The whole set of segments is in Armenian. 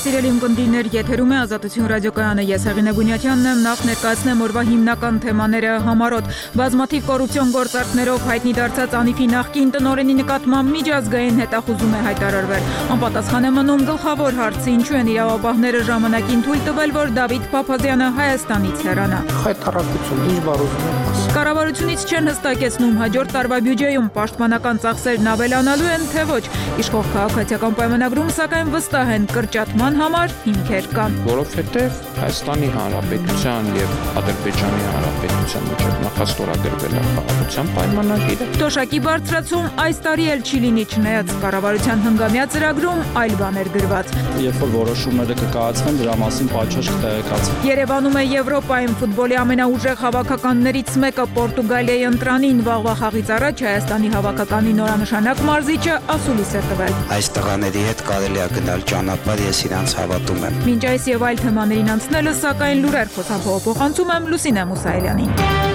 Սիրելի ունկնդիրներ, եթերում է Ազատություն ռադիոկայանը, ես Հեղինե Բունյաթյանն եմ, նախ ներկայացնեմ օրվա հիմնական թեմաները համառոտ։ Բազմաթիվ կոռուպցիոն գործարքներով հայտնի դարձած Անիֆի նախկին տնօրենի նկատմամբ միջազգային հետախուզում է հայտարարվել։ Անպատասխան է մնում գլխավոր հարցը, ինչու են իրավապահները ժամանակին թույլ տվել, որ Դավիթ Փափազյանը Հայաստանից հեռանա։ Հայտարարություն, ինչ բառ ուզում եմ ասել։ Կառավարությունից չեն հստակեցնում հաջորդ տարվա բյուջեում պաշտպանական ծախսերն ավելանալու են, թե ոչ։ Իշխող քաղաքացիական պայմանագրում սակայն վստահ են կրճատման համար հիմքեր կան։ Որովհետև Հայաստանի Հանրապետության եւ Ադրբեջանի Հանրապետության միջև նախաստորագրվել է խաղաղության պայմանագիրը։ Թոշակի բարձրացում այս տարի էլ չի լինի, չնայած կառավարության հնգամյա ծրագրում այլ բաներ գրված։ Երբ որ որոշումները կկայացվեն, դրա մասին պատշաճ կտեղեկացվի։ Երևանում է Եվրոպայում ֆուտբոլի ամենաուժեղ հավաքականներից մեկը Պորտուգալիայի ընտրանին վաղվա խաղից առաջ Հայաստանի հավաքականի նորանշանակ մարզիչը ասուլիս է տվել։ Այս տղաների հետ կարելի է գնալ ճանապարհ, ես իրանց հավատում եմ։ Մինչ այս եւ այլ թեմաներին անցնելը, սակայն լուրեր խոսափողանցում եմ Լուսինե Մուսայելյանին։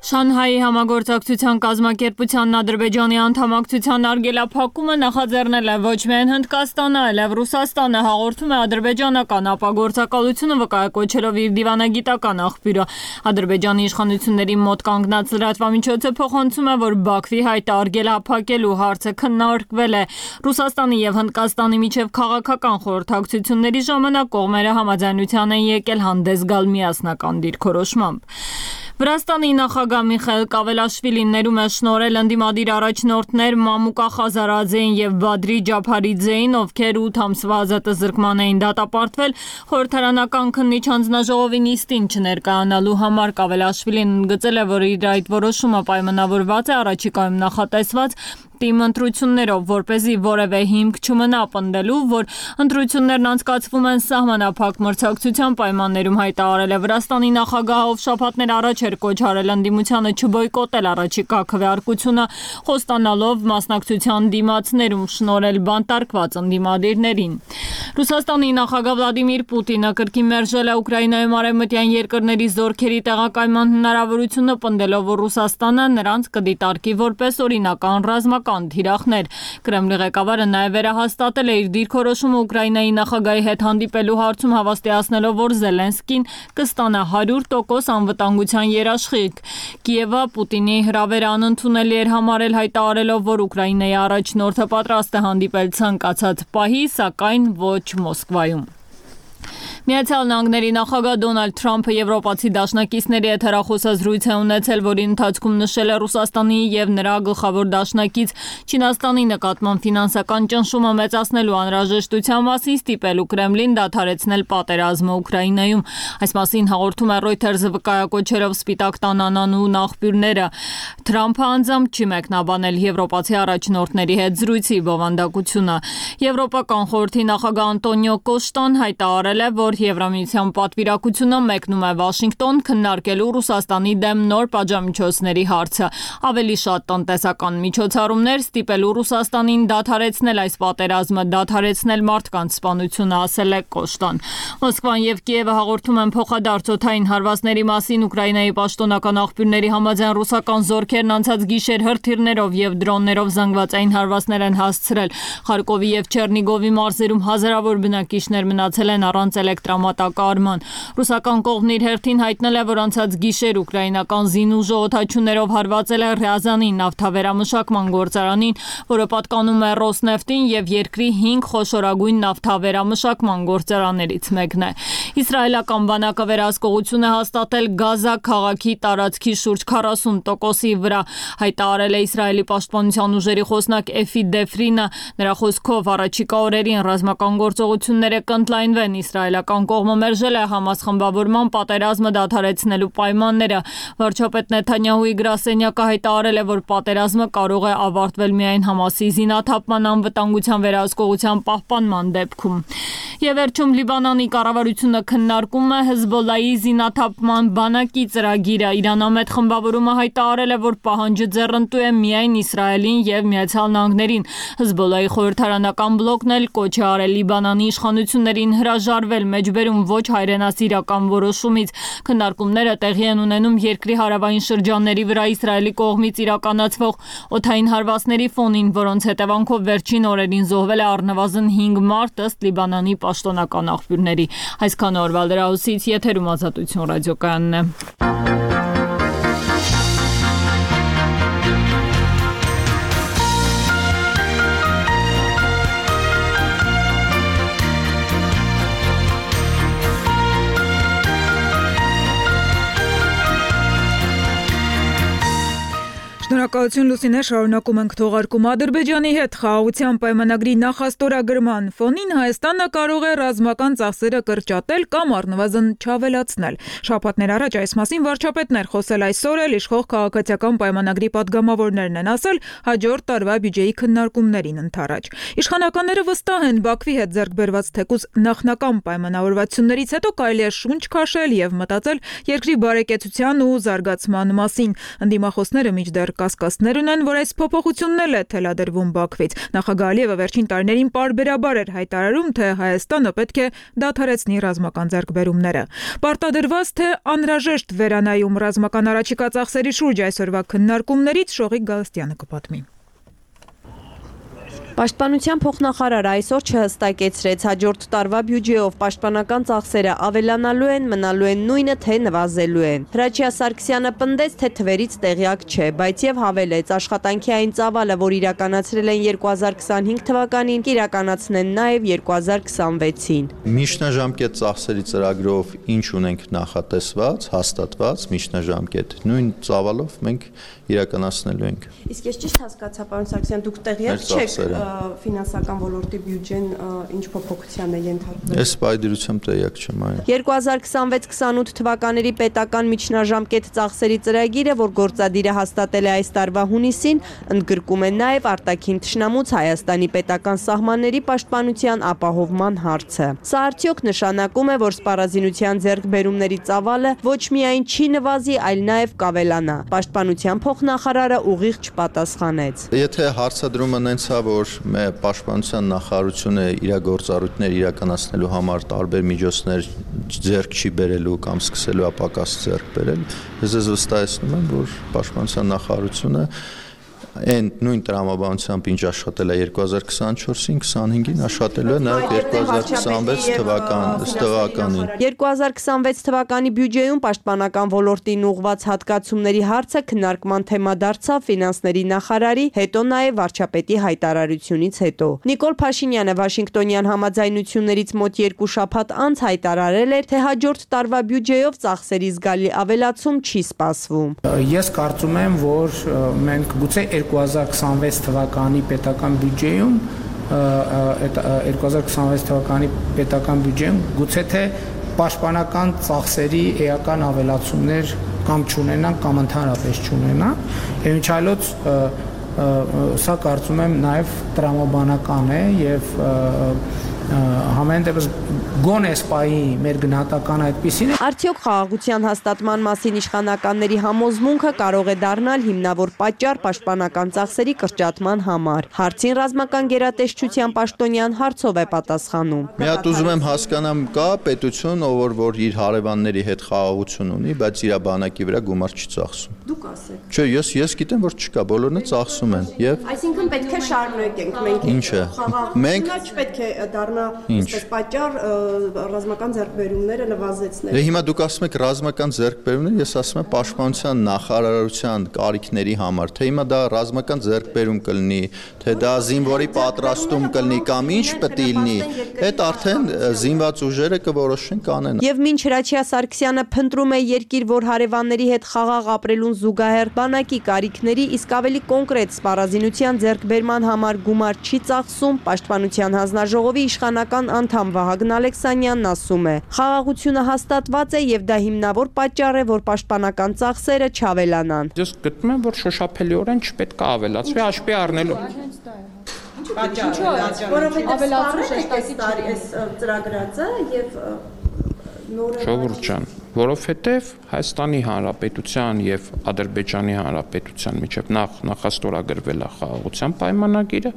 Շանհայի համագործակցության կազմակերպությանն Ադրբեջանի անդամակցության արգելափակումը նախաձեռնել է ոչ միայն Հնդկաստանը, այլև Ռուսաստանը, հաղորդում է ադրբեջանական ապագործակալությունը վկայակոչելով իր դիվանագիտական աղբյուրը։ Ադրբեջանի իշխանությունների մոտ կանգնած լրատվամիջոցը փոխանցում է, որ Բաքվի հայտը արգելափակելու հարցը քննարկվել է Ռուսաստանի եւ Հնդկաստանի միջև քաղաքական խորհրդակցությունների ժամանակ կողմերը համաձայնության են եկել հանդես գալ միասնական դիրքորոշմամբ։ Վրաստանի նախագահ Միխայիլ Կավելաշվիլին ներում է շնորհել ընդդիմադիր առաջնորդներ Մամուկա Խազարաձեին եւ Բադրի Ջափարիձեին, ովքեր 8 ամսվա ազատազրկման էին դատապարտվել խորհրդարանական քննիչ հանձնաժողովի նիստին չներկայանալու համար։ Կավելաշվիլին ընդգծել է, որ իր այդ որոշումը պայմանավորված է առաջիկայում նախատեսված թիմ ընտրություններով, որպեսզի որևէ հիմք չմնա պնդելու, որ ընտրություններն անցկացվում են սահմանափակ մրցակցության պայմաններում, հայտարարել է Վրաստանի նախագահը, ով շաբաթներ առաջ էր կոչ արել ընդդիմությանը չբոյկոտել առաջիկա քվեարկությունը, խոստանալով մասնակցության դիմացներում շնորհել բանտարկված ընդդիմադիրներին։ Ռուսաստանի նախագահ Վլադիմիր Պուտինը կրկին մերժել է Ուկրաինայում արևմտյան երկրների զորքերի տեղակայման հնարավորությունը, պնդելով, որ Ռուսաստանը նրանց կդիտարկի որպես օրինական ռազմական թիրախներ։ Կրեմլի ղեկավարը նաև վերահաստատել է իր դիրքորոշումը Ուկրաինայի նախագահի հետ հանդիպելու հարցում, հավաստիացնելով, որ Զելենսկին կստանա 100% անվտանգության երաշխիք։ Կիևը Պուտինի հրավերը անընդունելի էր համարել, հայտարարելով, որ Ուկրաինայի առաջնորդը պատրաստ է հանդիպել ցանկացած պահի, սակայն ոչ Մոսկվայում։ Միացյալ Նահանգների նախագահ Դոնալդ Թրամփը եվրոպացի դաշնակիցների հետ հեռախոսազրույց է ունեցել, որի ընթացքում նշել է Ռուսաստանի եւ նրա գլխավոր դաշնակից Չինաստանի նկատմամբ ֆինանսական ճնշումը մեծացնելու անհրաժեշտության մասին, ստիպելու Կրեմլին դադարեցնել պատերազմը Ուկրաինայում։ Այս մասին հաղորդում է Reuters-ը վկայակոչելով Սպիտակ տան անանուն աղբյուրները։ Թրամփը անձամբ չի մեկնաբանել եվրոպացի առաջնորդների հետ զրույցի բովանդակությունը։ Եվրոպական խորհրդի նախագահ Անտոնիո Կոշտան հայտարարել է, որ Եվրամիության պատվիրակությունը մեկնում է Վաշինգտոն քննարկելու Ռուսաստանի դեմ նոր պատժամիջոցների հարցը, ավելի շատ տնտեսական միջոցառումներ, ստիպելու Ռուսաստանին դադարեցնել այս պատերազմը, դադարեցնել մարդկանց սպանությունը, ասել է Կոշտան։ Մոսկվան եւ Կիևը հաղորդում են փոխադարձ օդային հարվածների մասին։ Ուկրաինայի պաշտոնական աղբյուրների համաձայն ռուսական զորքերն անցած գիշեր հրթիռներով եւ դրոններով զանգվածային հարվածներ են հասցրել։ Խարկովի եւ Չեռնիգովի մարզերում հազարավոր բնակիչներ մնացել են առանց էլեկտրամատակարարման։ Ռուսական կողմն իր հերթին հայտնել է, որ անցած գիշեր ուկրաինական զինուժը օդաչուներով հարվածել է Ռյազանի նավթավերամշակման գործարանին, որը պատկանում է Ռոսնեֆտին եւ երկրի 5 խոշորագույն նավթավերամշակման գործարաններից մեկն է։ Իսրայելական բանակը վերահսկողություն է հաստատել Գազա քաղաքի տարածքի շուրջ 40%-ի վրա, հայտարարել է Իսրայելի պաշտպանության ուժերի խոսնակ Էֆի Դեֆրինը։ Նրա խոսքով առաջիկա օրերին ռազմական գործողությունները կընդլայնվեն։ Իսրայելական կողմը մերժել է Համաս խմբավորման պատերազմը դադարեցնելու պայմանները։ Վարչապետ Նեթանյահուի գրասենյակը հայտարարել է, որ պատերազմը կարող է ավարտվել միայն Համասի զինաթափման անվտանգության վերահսկողության պահպանման դեպքում։ Եվ վերջում Լիբանանի կառավարությունը քննարկում է Հեզբոլլայի զինաթափման բանակի ծրագիրը։ Իրանամետ խմբավորումը հայտարարել է, որ պահանջը ձեռնտու է միայն Իսրայելին եւ Միացյալ Նահանգներին։ Հեզբոլլայի խորհրդարանական բլոկն էլ կոչ է արել Լիբանանի իշխանություններին հրաժարվել մեջբերում ոչ հայրենասիրական որոշումից։ Քննարկումները տեղի են ունենում երկրի հարավային շրջանների վրա Իսրայելի կողմից իրականացվող օդային հարվածների ֆոնին, որոնց հետևանքով վերջին օրերին զոհվել է առնվազն 5 մարդ ըստ Լիբանանի պաշտոնական աղբյուրների։ Այսքան օրվա լրահոսից եթերում Ազատություն ռադիոկայանն է։ Շնորհակալություն Լուսինե, շարունակում ենք թողարկում Ադրբեջանի հետ խաղաղության պայմանագրի նախաստորագրման ֆոնին Հայաստանը կարող է ռազմական ծախսերը կրճատել կամ առնվազն չավելացնել։ Շաբաթներ առաջ այս մասին վարչապետն էր խոսել, այսօր էլ իշխող քաղաքացիական պայմանագրի падգամավորներն են ասել հաջորդ տարվա բյուջեի քննարկումներին ընթരാճ։ Իշխանականները վստահ են Բաքվի հետ ձեռք բերված թեկուզ նախնական պայմանավորվածություններից հետո կարելի է շունչ քաշել եւ մտածել երկրի բարեկեցության ու զարգացման մասին։ Ընդդիմախոսները մինչդեռ կասկածներ ունեն, որ այս փոփոխությունն էլ է թելադրվում Բաքվից։ Նախագահ Ալիևը վերջին տարիներին պարբերաբար էր հայտարարում, թե Հայաստանը պետք է դադարեցնի ռազմական ձեռքբերումները։ Պարտադրված թե անհրաժեշտ վերանայում ռազմական առաջիկա ծախսերի շուրջ այսօրվա քննարկումներից Շողիկ Գալստյանը կպատմի։ Պաշտպանության փոխնախարարը այսօր չհստակեցրեց հաջորդ տարվա բյուջեով պաշտպանական ծախսերը ավելանալու են, մնալու են նույնը, թե նվազելու են։ Հրաչյա Սարգսյանը պնդեց, թե թվերից տեղյակ չէ, բայց եւ հավելեց, աշխատանքի այն ծավալը, որ իրականացրել են 2025 թվականին, կիրականացնեն նաեւ 2026-ին։ Միջնաժամկետ ծախսերի ծրագրով ինչ ունենք նախատեսված, հաստատված միջնաժամկետ, նույն ծավալով մենք իրականացնելու ենք։ Իսկ ես ճիշտ հասկացա, պարոն Սարգսյան, դուք տեղյակ չեք ֆինանսական ոլորտի բյուջեն ինչ փոփոխության է ենթարկվել։ Ես պայդրությամբ տեղյակ չեմ, այո։ 2026-28 թվականների պետական միջնաժամկետ ծախսերի ծրագիրը, որ գործադիրը հաստատել է այս տարվա հունիսին, ընդգրկում է նաև արտաքին թշնամուց Հայաստանի պետական սահմանների պաշտպանության ապահովման հարցը։ Սա արդյոք նշանակում է, որ սպառազինության ձեռքբերումների ծավալը ոչ միայն չի նվազի, այլ նաև կավելանա։ Պաշտպանության փոխնախարարը ուղիղ չպատասխանեց։ Եթե հարցադրումը նենց է, որ պաշտպանության նախարարությունը իր գործառույթներ իրականացնելու համար տարբեր միջոցներ ձեռք չի բերելու կամ սկսելու է պակաս ձեռք բերել, ես վստահեցնում եմ, որ պաշտպանության նախարարությունը այն նույն տրամաբանությամբ ինչ աշխատել է 2024-ին, 25-ին աշխատելու է նաև 2026 թվականին։ 2026 թվականի բյուջեում պաշտպանական ոլորտին ուղղված հատկացումների հարցը քննարկման թեմա դարձավ ֆինանսների նախարարի, հետո նաև վարչապետի հայտարարությունից հետո։ Նիկոլ Փաշինյանը Վաշինգտոնյան համաձայնություններից մոտ 2 շաբաթ անց հայտարարել էր, թե հաջորդ տարվա բյուջեով ծախսերի զգալի ավելացում չի սպասվում։ Ես կարծում եմ, որ մենք գուցե 2026 թվականի պետական բյուջեում 2026 թվականի պետական բյուջեում գուցե թե պաշտպանական ծախսերի էական ավելացումներ կամ չունենան կամ ընդհանրապես չունենան, եւ ինչ այլոց սա կարծում եմ նաև տրամաբանական է եւ համեն դեպս գոնե սպայի մեր գնահատական այդպիսին է։ Արդյոք խաղաղության հաստատման մասին իշխանականների համոզմունքը կարող է դառնալ հիմնավոր պատճառ պաշտպանական ծախսերի կրճատման համար։ Հարցին ռազմական գերատեսչության պաշտոնյան հարցով է պատասխանում։ Մի հատ ուզում եմ հասկանամ, կա պետություն, որ իր հարևանների հետ խաղաղություն ունի, բայց իր բանակի վրա գումար չի ծախսում։ Դուք ասեք։ Չէ, ես գիտեմ, որ չկա, բոլորն է ծախսում են եւ Այսինքն պետք է շարունակենք մենք։ Ինչը։ Մենք չպետք է դառնա այսպես պատճառ ռազմական ձեռքբերումները նվազեցնել։ Հիմա դուք ասում եք ռազմական ձեռքբերումներ, ես ասում եմ պաշտպանության նախարարության կարիքների համար, թե հիմա դա ռազմական ձեռքբերում կլինի, թե դա զինվորի պատրաստում կլինի կամ ինչ պետք է լինի, այդ արդեն զինված ուժերը կորոշեն կանեն։ Եվ մինչ Հրաչյա Սարգսյանը փնտրում է երկիր, որ հարևանների հետ խաղաղ ապրելուն զուգահեռ բանակի կարիքների, իսկ ավելի կոնկրետ սպառազինության ձեռքբերման համար գումար չի ծախսում, Պաշտպանության հանձնաժողովի իշխանական անդամ Վահագն Ալեքսանյանն ասում է. խաղաղությունը հաստատված է եւ դա հիմնավոր պատճառ է, որ պաշտպանական ծախսերը չավելանան։ Ես գտնում եմ, որ շոշափելիորեն չպետք է ավելացվի, հաշվի առնելով։ Որովհետեւ ավելացում շեշտակի այս ծրագրածը եւ նորը Ժողովուրդ ջան, որովհետև Հայաստանի Հանրապետության եւ Ադրբեջանի Հանրապետության միջև նախաստորագրվել է խաղաղության պայմանագիրը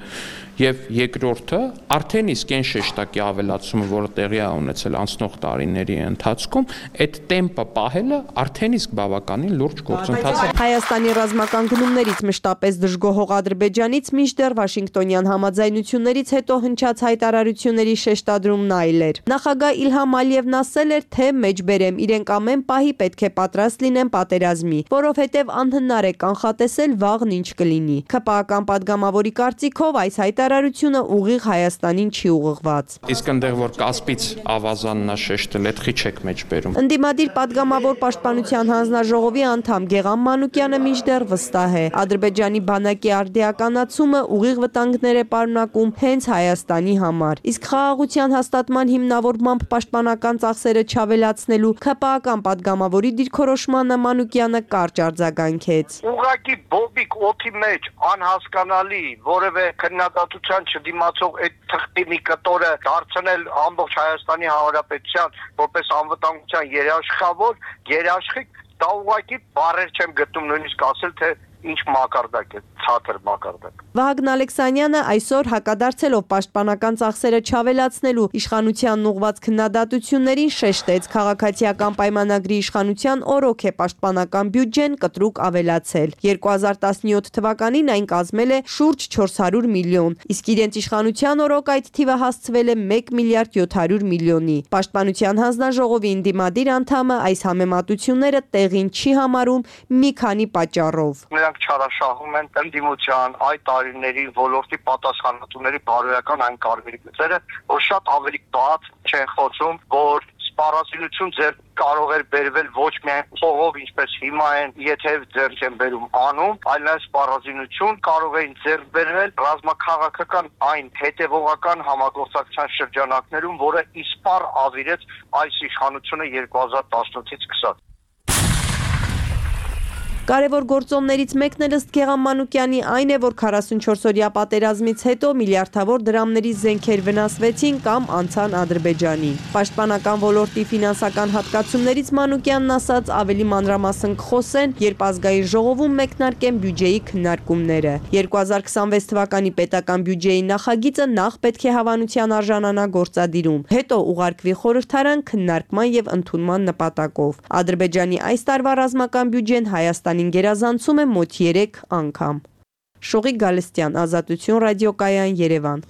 եւ երկրորդը արդեն իսկ այն շեշտակի ավելացումը, որը տեղի է ունեցել անցնող տարիների ընթացքում, այդ տեմպը պահելը արդեն իսկ բավականին լուրջ գործընթաց է։ Հայաստանի ռազմական գնումներից մշտապես դժգոհող Ադրբեջանից մինչդեռ Վաշինգտոնյան համաձայնություններից հետո հնչած հայտարարությունների շեշտադրումն այլ էր։ Նախագահ Իլհամ Ալիևն ասել էր, թե մեջբերեմ իրենք ամեն պահի պետք է պատրաստ լինեն պատերազմի, որովհետև անհնար է կանխատեսել վաղն ինչ կլինի։ ՔՊԱ-ական падգամավորի կարծիքով այս հայտարարությունը ուղիղ Հայաստանին չի ուղղված։ Իսկ այնտեղ որ Կասպից ավազանն է շեշտել, այդ խի չեք մեջբերում։ Ընդդիմադիր падգամավոր պաշտպանության հանձնաժողովի անդամ Գեգամ Մանուկյանը մինչդեռ վստահ է, Ադրբեջանի բանակի արդիականացումը ուղիղ վտանգներ է պարունակում հենց Հայաստանի համար։ Իսկ խաղաղության հաստատման հիմնավորմամբ պաշտպանական ծախսերը չավելացնելու ՔՊԱ-ական падգամավորի դիրքորոշմանը Մանուկյանը կարճ արձագանքեց։ Ուղղակի բոբիկ օդի մեջ անհասկանալի որևէ քննադատության չդիմացող այդ թղթի մի կտորը դարձնել ամբողջ Հայաստանի Հանրապետության որպես անվտանգության երաշխիք, դա ուղղակի բառեր չեմ գտնում նույնիսկ ասել, թե ինչ մակարդակ է, ցածր մակարդակ։ Վահագն Ալեքսանյանը այսօր հակադարձելով պաշտպանական ծախսերը չավելացնելու իշխանությանն ուղղված քննադատություններին շեշտեց քաղաքացիական պայմանագրի իշխանության օրոք է պաշտպանական բյուջեն կտրուկ ավելացել։ 2017 թվականին այն կազմել է շուրջ 400 միլիոն, իսկ իրենց իշխանության օրոք այդ թիվը հասցվել է 1 միլիարդ 700 միլիոնի։ Պաշտպանության հանձնաժողովի ընդդիմադիր անդամը այս համեմատությունները տեղին չի համարում մի քանի պատճառով։ Չարաշահում են ընդդիմության այդ տարիների ոլորտի պատասխանատուների բարոյական այն կարծիքները, որ շատ ավելի բաց չեն խոսում, որ սպառազինություն ձեր կարող էր բերվել ոչ միայն փողով, ինչպես հիմա են, եթե ձեր չեն բերում անում, այլ նաև սպառազինություն կարող էին ձեր բերվել ռազմաքաղաքական այն հետևողական համագործակցության շրջանակներում, որը իսպառ ավիրեց այս իշխանությունը 2018-ից սկսած։ Կարևոր գործոններից մեկն էլ ըստ Գեգամ Մանուկյանի այն է, որ 44-օրյա պատերազմից հետո միլիարդավոր դրամների զենքեր վնասվեցին կամ անցան Ադրբեջանին։ Պաշտպանական ոլորտի ֆինանսական հատկացումներից Մանուկյանն ասաց ավելի մանրամասն կխոսեն, երբ ազգային ժողովում մեկնարկեն բյուջեի քննարկումները։ 2026 թվականի պետական բյուջեի նախագիծը նախ պետք է հավանության արժանանա գործադիրում, հետո ուղարկվի խորհրդարան քննարկման եւ ընդունման նպատակով։ Ադրբեջանի այս տարվա ռազմական բյուջեն Հայաստանին գերազանցում է մոտ 3 անգամ։ Շողիկ Գալստյան, Ազատություն ռադիոկայան, Երևան։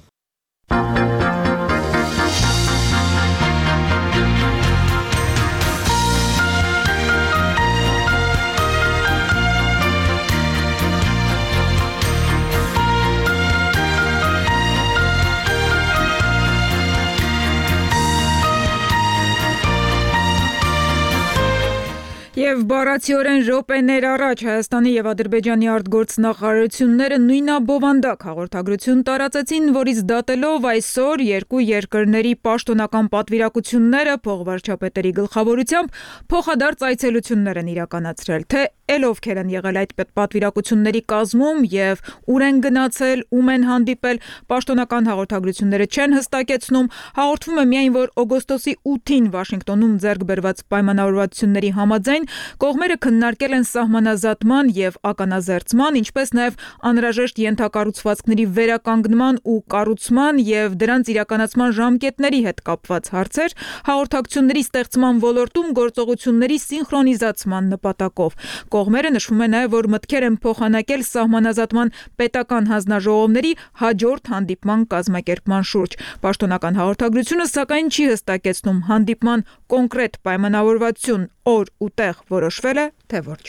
Եվ բառացիորեն րոպեներ առաջ Հայաստանի եւ Ադրբեջանի արտգործնախարարությունները նույնաբովանդակ հաղորդագրություն տարածեցին, որից դատելով այսօր երկու երկրների պաշտոնական պատվիրակությունները փոխվարչապետերի գլխավորությամբ փոխադարձ այցելություններ են իրականացրել, թե ովքեր են եղել այդ պատվիրակությունների կազմում եւ ուր են գնացել, ում են հանդիպել, պաշտոնական հաղորդագրությունները չեն հստակեցնում, հաղորդվում է միայն, որ օգոստոսի 8-ին Վաշինգտոնում ձեռք բերված պայմանավորվածությունների համաձայն կողմերը քննարկել են սահմանազատման եւ ականազերծման, ինչպես նաեւ անհրաժեշտ ենթակառուցվածքների վերականգնման ու կառուցման եւ դրանց իրականացման ժամկետների հետ կապված հարցեր, հաղորդակցությունների ստեղծման ոլորտում գործողությունների սինխրոնիզացման նպատակով։ Կողմերը նշվում է նաև, որ մտքեր են փոխանակել սահմանազատման պետական հանձնաժողովների հաջորդ հանդիպման կազմակերպման շուրջ։ Պաշտոնական հաղորդագրությունը սակայն չի հստակեցնում հանդիպման կոնկրետ պայմանավորվածություն, օր ու տեղ որոշվել է, թե ոչ։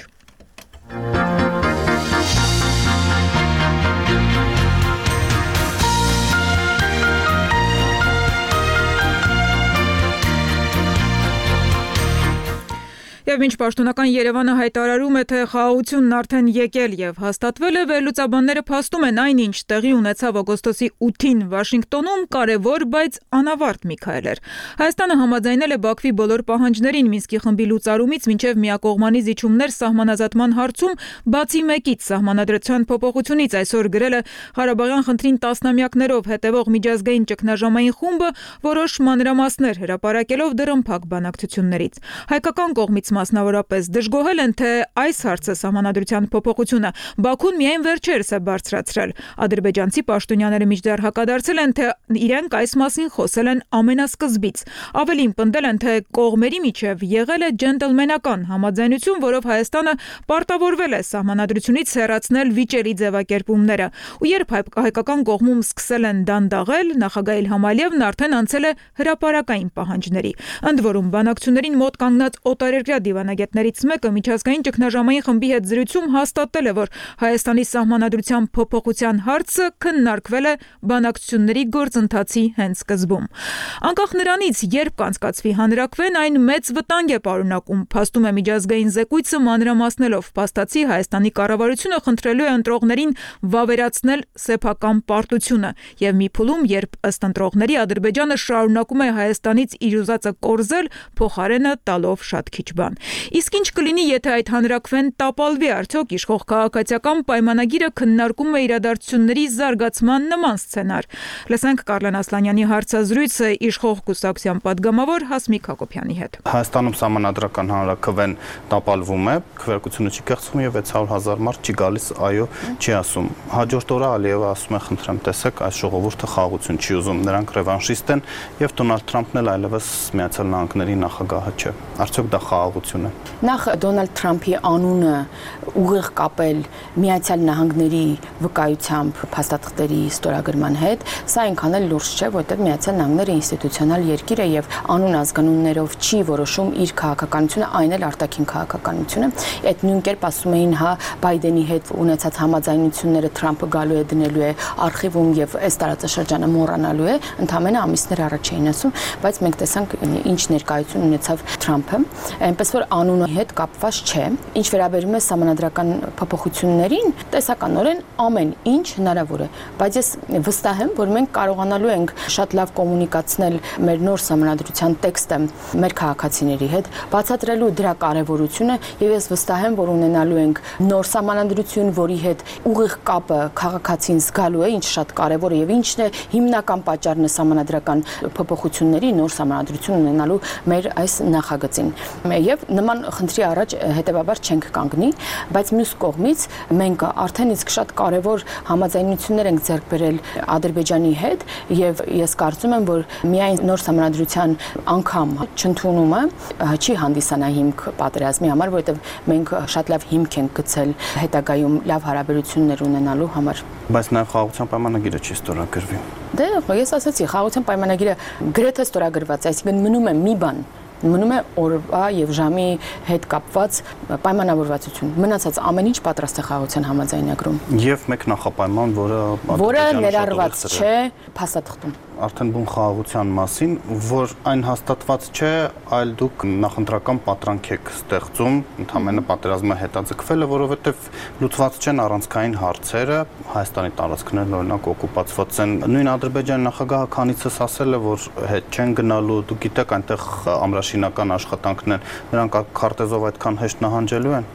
Եվ ինչ պաշտոնական Երևանը հայտարարում է, թե խաղաղությունն արդեն եկել եւ հաստատվել է, վերլուծաբանները փաստում են այնինչ տեղի ունեցավ օգոստոսի 8-ին Վաշինգտոնում կարևոր, բայց անավարտ մի քայլ էր։ Հայաստանը համաձայնել է Բաքվի բոլոր պահանջներին Մինսկի խմբի լուծարումից մինչև միակողմանի զիջումներ սահմանազատման հարցում, բացի մեկից սահմանադրության փոփոխությունից, այսօր գրել է Ղարաբաղյան խնդրին տասնամյակներով հետևող միջազգային ճգնաժամային խումբը որոշ մանրամասներ հրապարակելով դռնփակ բանակցություններից։ Հայկական կողմից մասնավորապես դժգոհել են, թե այս հարցը սահմանադրության փոփոխությունը Բաքուն միայն վերջերս է բարձրացրել։ Ադրբեջանցի պաշտոնյաները մինչդեռ հակադարձել են, թե իրենք այս մասին խոսել են ամենասկզբից։ Ավելին պնդել են, թե կողմերի միջև եղել է ջենտլմենական համաձայնություն, որով Հայաստանը պարտավորվել է սահմանադրությունից հեռացնել վիճելի ձևակերպումները։ Ու երբ հայկական կողմում սկսել են դանդաղել, նախագահ Իլհամ Ալիևն արդեն անցել է հրապարակային պահանջների։ Ընդ որում բանակցություններին մոտ կանգնած օտարերկրյա դիվանագետներից մեկը միջազգային ճգնաժամային խմբի հետ զրույցում հաստատել է, որ Հայաստանի սահմանադրության փոփոխության հարցը քննարկվել է բանակցությունների գործընթացի հենց սկզբում։ Անկախ նրանից, երբ կանցկացվի հանրաքվեն, այն մեծ վտանգ է պարունակում, փաստում է միջազգային զեկույցը մանրամասնելով։ Փաստացի Հայաստանի կառավարությունը խնդրելու է ընտրողներին վավերացնել սեփական պարտությունը եւ մի փուլում, երբ ըստ ընտրողների Ադրբեջանը շարունակում է Հայաստանից իր ուզածը կորզել, փոխարենը տալով շատ քիչ բան։ Իսկ ինչ կլինի, եթե այդ հանրաքվեն տապալվի, արդյոք իշխող քաղաքացիական պայմանագիրը քննարկում է իրադարձությունների զարգացման նման սցենար։ Լսենք Կարլեն Ասլանյանի հարցազրույցը իշխող կուսակցության падգամավոր Հասմիկ Հակոբյանի հետ։ Հայաստանում սահմանադրական հանրաքվեն տապալվում է, քվեարկությունը չի կեղծվում եւ 600,000 մարդ չի գալիս, այո, չի ասում։ Հաջորդ օրը Ալիևը ասում է, խնդրեմ, տեսեք, այս ժողովուրդը խաղաղություն չի ուզում, նրանք ռևանշիստ են եւ Դոնալդ Թրամփն էլ այլևս Միացյալ Նահանգների նախագահը չէ։ Արդյոք դա խաղաղություն է։ Նախ Դոնալդ Թրամփի անունը ուղիղ կապել Միացյալ Նահանգների վկայությամբ փաստաթղթերի ստորագրման հետ, սա այնքան էլ լուրջ չէ, որտեղ Միացյալ Նահանգները ինստիտուցիոնալ երկիր է եւ անուն ազգանուններով չի որոշում իր քաղաքականությունը, այն էլ արտաքին քաղաքականությունը։ Այդ նույն կերպ ասում էին, հա, Բայդենի հետ ունեցած համաձայնությունները Թրամփը գալու է դնելու է արխիվում եւ այս տարածաշրջանը մոռանալու է, ընդամենը ամիսներ առաջ էին ասում, բայց մենք տեսանք ինչ ներկայություն ունեցավ Թրամփը, այնպես որ անունի հետ կապված չէ։ Ինչ վերաբերում է սահմանադրական փոփոխություններին, տեսականորեն ամեն ինչ հնարավոր է, բայց ես վստահ եմ, որ մենք կարողանալու ենք շատ լավ կոմունիկացնել մեր նոր սահմանադրության տեքստը մեր քաղաքացիների հետ, բացատրելու դրա կարևորությունը եւ ես վստահ եմ, որ ունենալու ենք նոր սահմանադրություն, որի հետ ուղիղ կապը քաղաքացին զգալու է, ինչ շատ կարևոր է եւ ինչն է հիմնական պատճառն է սահմանադրական փոփոխությունների նոր սահմանադրություն ունենալու մեր այս նախագծին։ Եվ նման խնդրի առաջ հետեւաբար չենք կանգնի, բայց մյուս կողմից մենք արդեն իսկ շատ կարևոր համաձայնություններ ենք ձեռք բերել Ադրբեջանի հետ եւ ես կարծում եմ, որ միայն նոր սահմանադրության անգամ չընդունումը չի հանդիսանա հիմք պատերազմի համար, որովհետեւ մենք շատ լավ հիմք ենք գցել հետագայում լավ հարաբերություններ ունենալու համար։ Բայց նաեւ խաղաղության պայմանագիրը չի ստորագրվի։ Դե ես ասացի, խաղաղության պայմանագիրը գրեթե ստորագրված է, այսինքն մնում է մի բան, մնում է օրվա եւ ժամի հետ կապված պայմանավորվածություն։ Մնացած ամեն ինչ պատրաստ է խաղաղության համաձայնագրում։ Եվ մեկ նախապայման, որը ներառված չէ փաստաթղթում։ Արդեն բուն խաղաղության մասին, որ այն հաստատված չէ, այլ դուք նախընտրական պատրանք եք ստեղծում, ընդհանրապես պատերազմը հետաձգվել է, որովհետև լուծված չեն առանցքային հարցերը, Հայաստանի տարածքներն օրինակ օկուպացված են։ Նույն Ադրբեջանի նախագահը քանիցս ասել է, որ հետ չեն գնալու, դուք գիտեք, այնտեղ ամրաշինական աշխատանքն են, նրանք քարտեզով այդքան հեշտ նահանջելու են։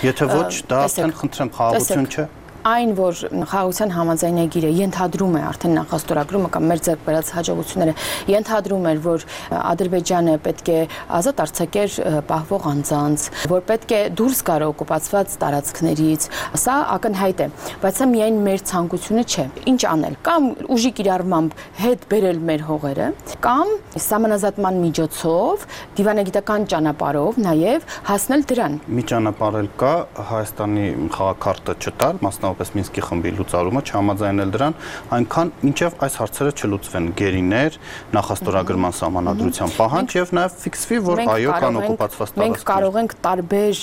Եթե ոչ, դա արդեն խնդրեմ խաղաղություն չէ։ Այն, որ խաղաղության համաձայնագիրը ենթադրում է արդեն նախաստորագրումը կամ մեր ձեռք բերած հաջողությունները ենթադրում էր, որ Ադրբեջանը պետք է ազատ արձակեր պահվող անձանց, որ պետք է դուրս գար օկուպացված տարածքներից, սա ակնհայտ է, բայց սա միայն մեր ցանկությունը չէ։ Ինչ անել, կամ ուժի կիրառմամբ հետ բերել մեր հողերը, կամ սահմանազատման միջոցով, դիվանագիտական ճանապարհով նաև հասնել դրան։ Մի ճանապարհ էլ կա, Հայաստանի խաղաքարտը չտալ, մասնավոր ընդհանրապես Մինսկի խմբի լուծարումը, չհամաձայնել դրան, այնքան մինչև այս հարցերը չլուծվեն գերիներ, նախաստորագրման սահմանադրության պահանջ եւ նաեւ ֆիքսվի, որ այո, կան օկուպացված տարածքներ։ Մենք կարող ենք տարբեր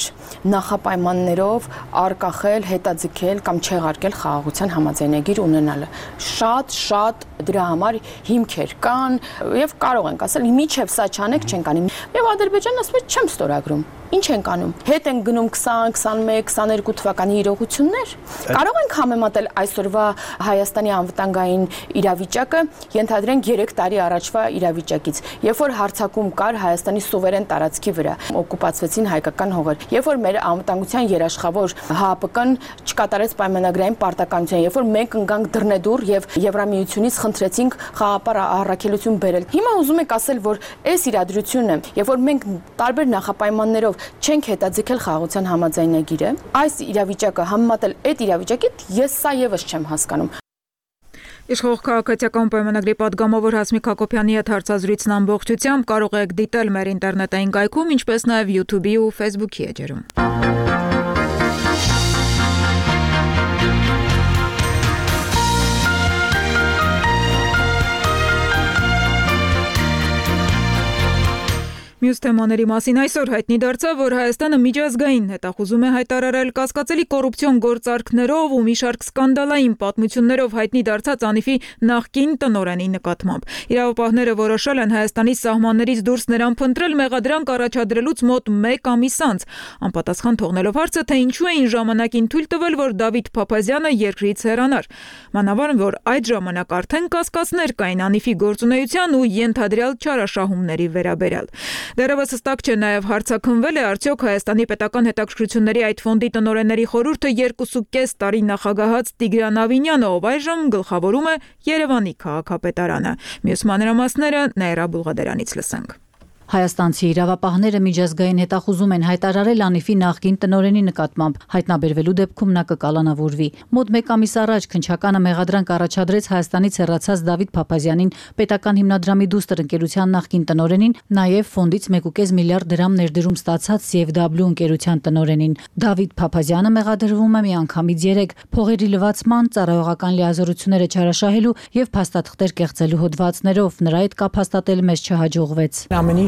նախապայմաններով արկախել, հետաձգել կամ չեղարկել խաղաղության համաձայնագիր ունենալը։ Շատ դրա համար հիմքեր կան եւ կարող ենք ասել, միջև սա չանեք չենք անի։ Եվ Ադրբեջանն ասում է չեմ ստորագրում։ Ինչ ենք անում։ Հետ են գնում 20, 21, 22 թվականի իրողություններ։ Կարող ենք համեմատել այսօրվա Հայաստանի անվտանգային իրավիճակը, ենթադրենք 3 տարի առաջվա իրավիճակից, երբ որ հարձակում կար Հայաստանի սուվերեն տարածքի վրա, օկուպացվեցին հայկական հողեր, երբ որ մեր անվտանգության երաշխավոր ՀԱՊԿ-ն չկատարեց պայմանագրային պարտականություն, երբ որ մենք ընկանք դռնեդուռ եւ Եվրամիությունից խնդրեցինք խաղապար առաքելություն բերել։ Հիմա ուզում եք ասել, որ այս իրադրությունը, երբ որ մենք տարբեր նախապայմաններով չենք հետաձգել խաղաղության համաձայնագիրը, այս իրավիճակը համեմատել այդ իրավիճակից ես սա եւս չեմ հասկանում։ Իշխող քաղաքացիական պայմանագրի պատգամավոր Հասմիկ Հակոբյանի հետ հարցազրույցն ամբողջությամբ կարող եք դիտել մեր ինտերնետային կայքում, ինչպես նաև YouTube-ի ու Facebook-ի էջերում։ Մյուս թեմաների մասին այսօր հայտնի դարձավ, որ Հայաստանը միջազգային հետախուզում է հայտարարել կասկածելի կոռուպցիոն գործարքներով ու մի շարք սկանդալային պատմություններով հայտնի դարձած Անիֆի նախկին տնօրենի նկատմամբ։ Իրավապահները որոշել են Հայաստանի սահմաններից դուրս նրան փնտրել մեղադրանք առաջադրելուց մոտ 1 ամիս անց, անպատասխան թողնելով հարցը, թե ինչու էին ժամանակին թույլ տվել, որ Դավիթ Փափազյանը երկրից հեռանար։ Մանավանդ, որ այդ ժամանակ արդեն կասկածներ կային Անիֆի գործունեության ու ենթադրյալ չարաշահումների վերաբերյալ։ Դեռևս հստակ չէ նաև հարցաքննվել է արդյոք Հայաստանի պետական հետաքրքրությունների այդ ֆոնդի տնօրենների խորհուրդը 2.5 տարի նախագահած Տիգրան Ավինյանը, ով այժմ գլխավորում է Երևանի քաղաքապետարանը։ Մյուս մանրամասները Նաիրա Բուլղադերանից լսենք։ Հայաստանցի իրավապահները միջազգային հետախուզում են հայտարարել Անիֆի նախկին տնօրենի նկատմամբ, հայտնաբերվելու դեպքում նա կկալանավորվի։ Մոտ 1 ամիս առաջ քննչականը մեղադրանք առաջադրեց Հայաստանից հեռացած Դավիթ Փափազյանին, պետական հիմնադրամի դուստր ընկերության նախկին տնօրենին, նաև ֆոնդից 1.5 միլիարդ դրամ ներդրում ստացած CFW ընկերության տնօրենին։ Դավիթ Փափազյանը մեղադրվում է միանգամից 3 փողերի լվացման, ծառայողական լիազորությունները չարաշահելու եւ փաստաթղթեր կեղծելու հոդվածներով։ Նրա հետ կապ հաստատել մեզ չհաջողվեց։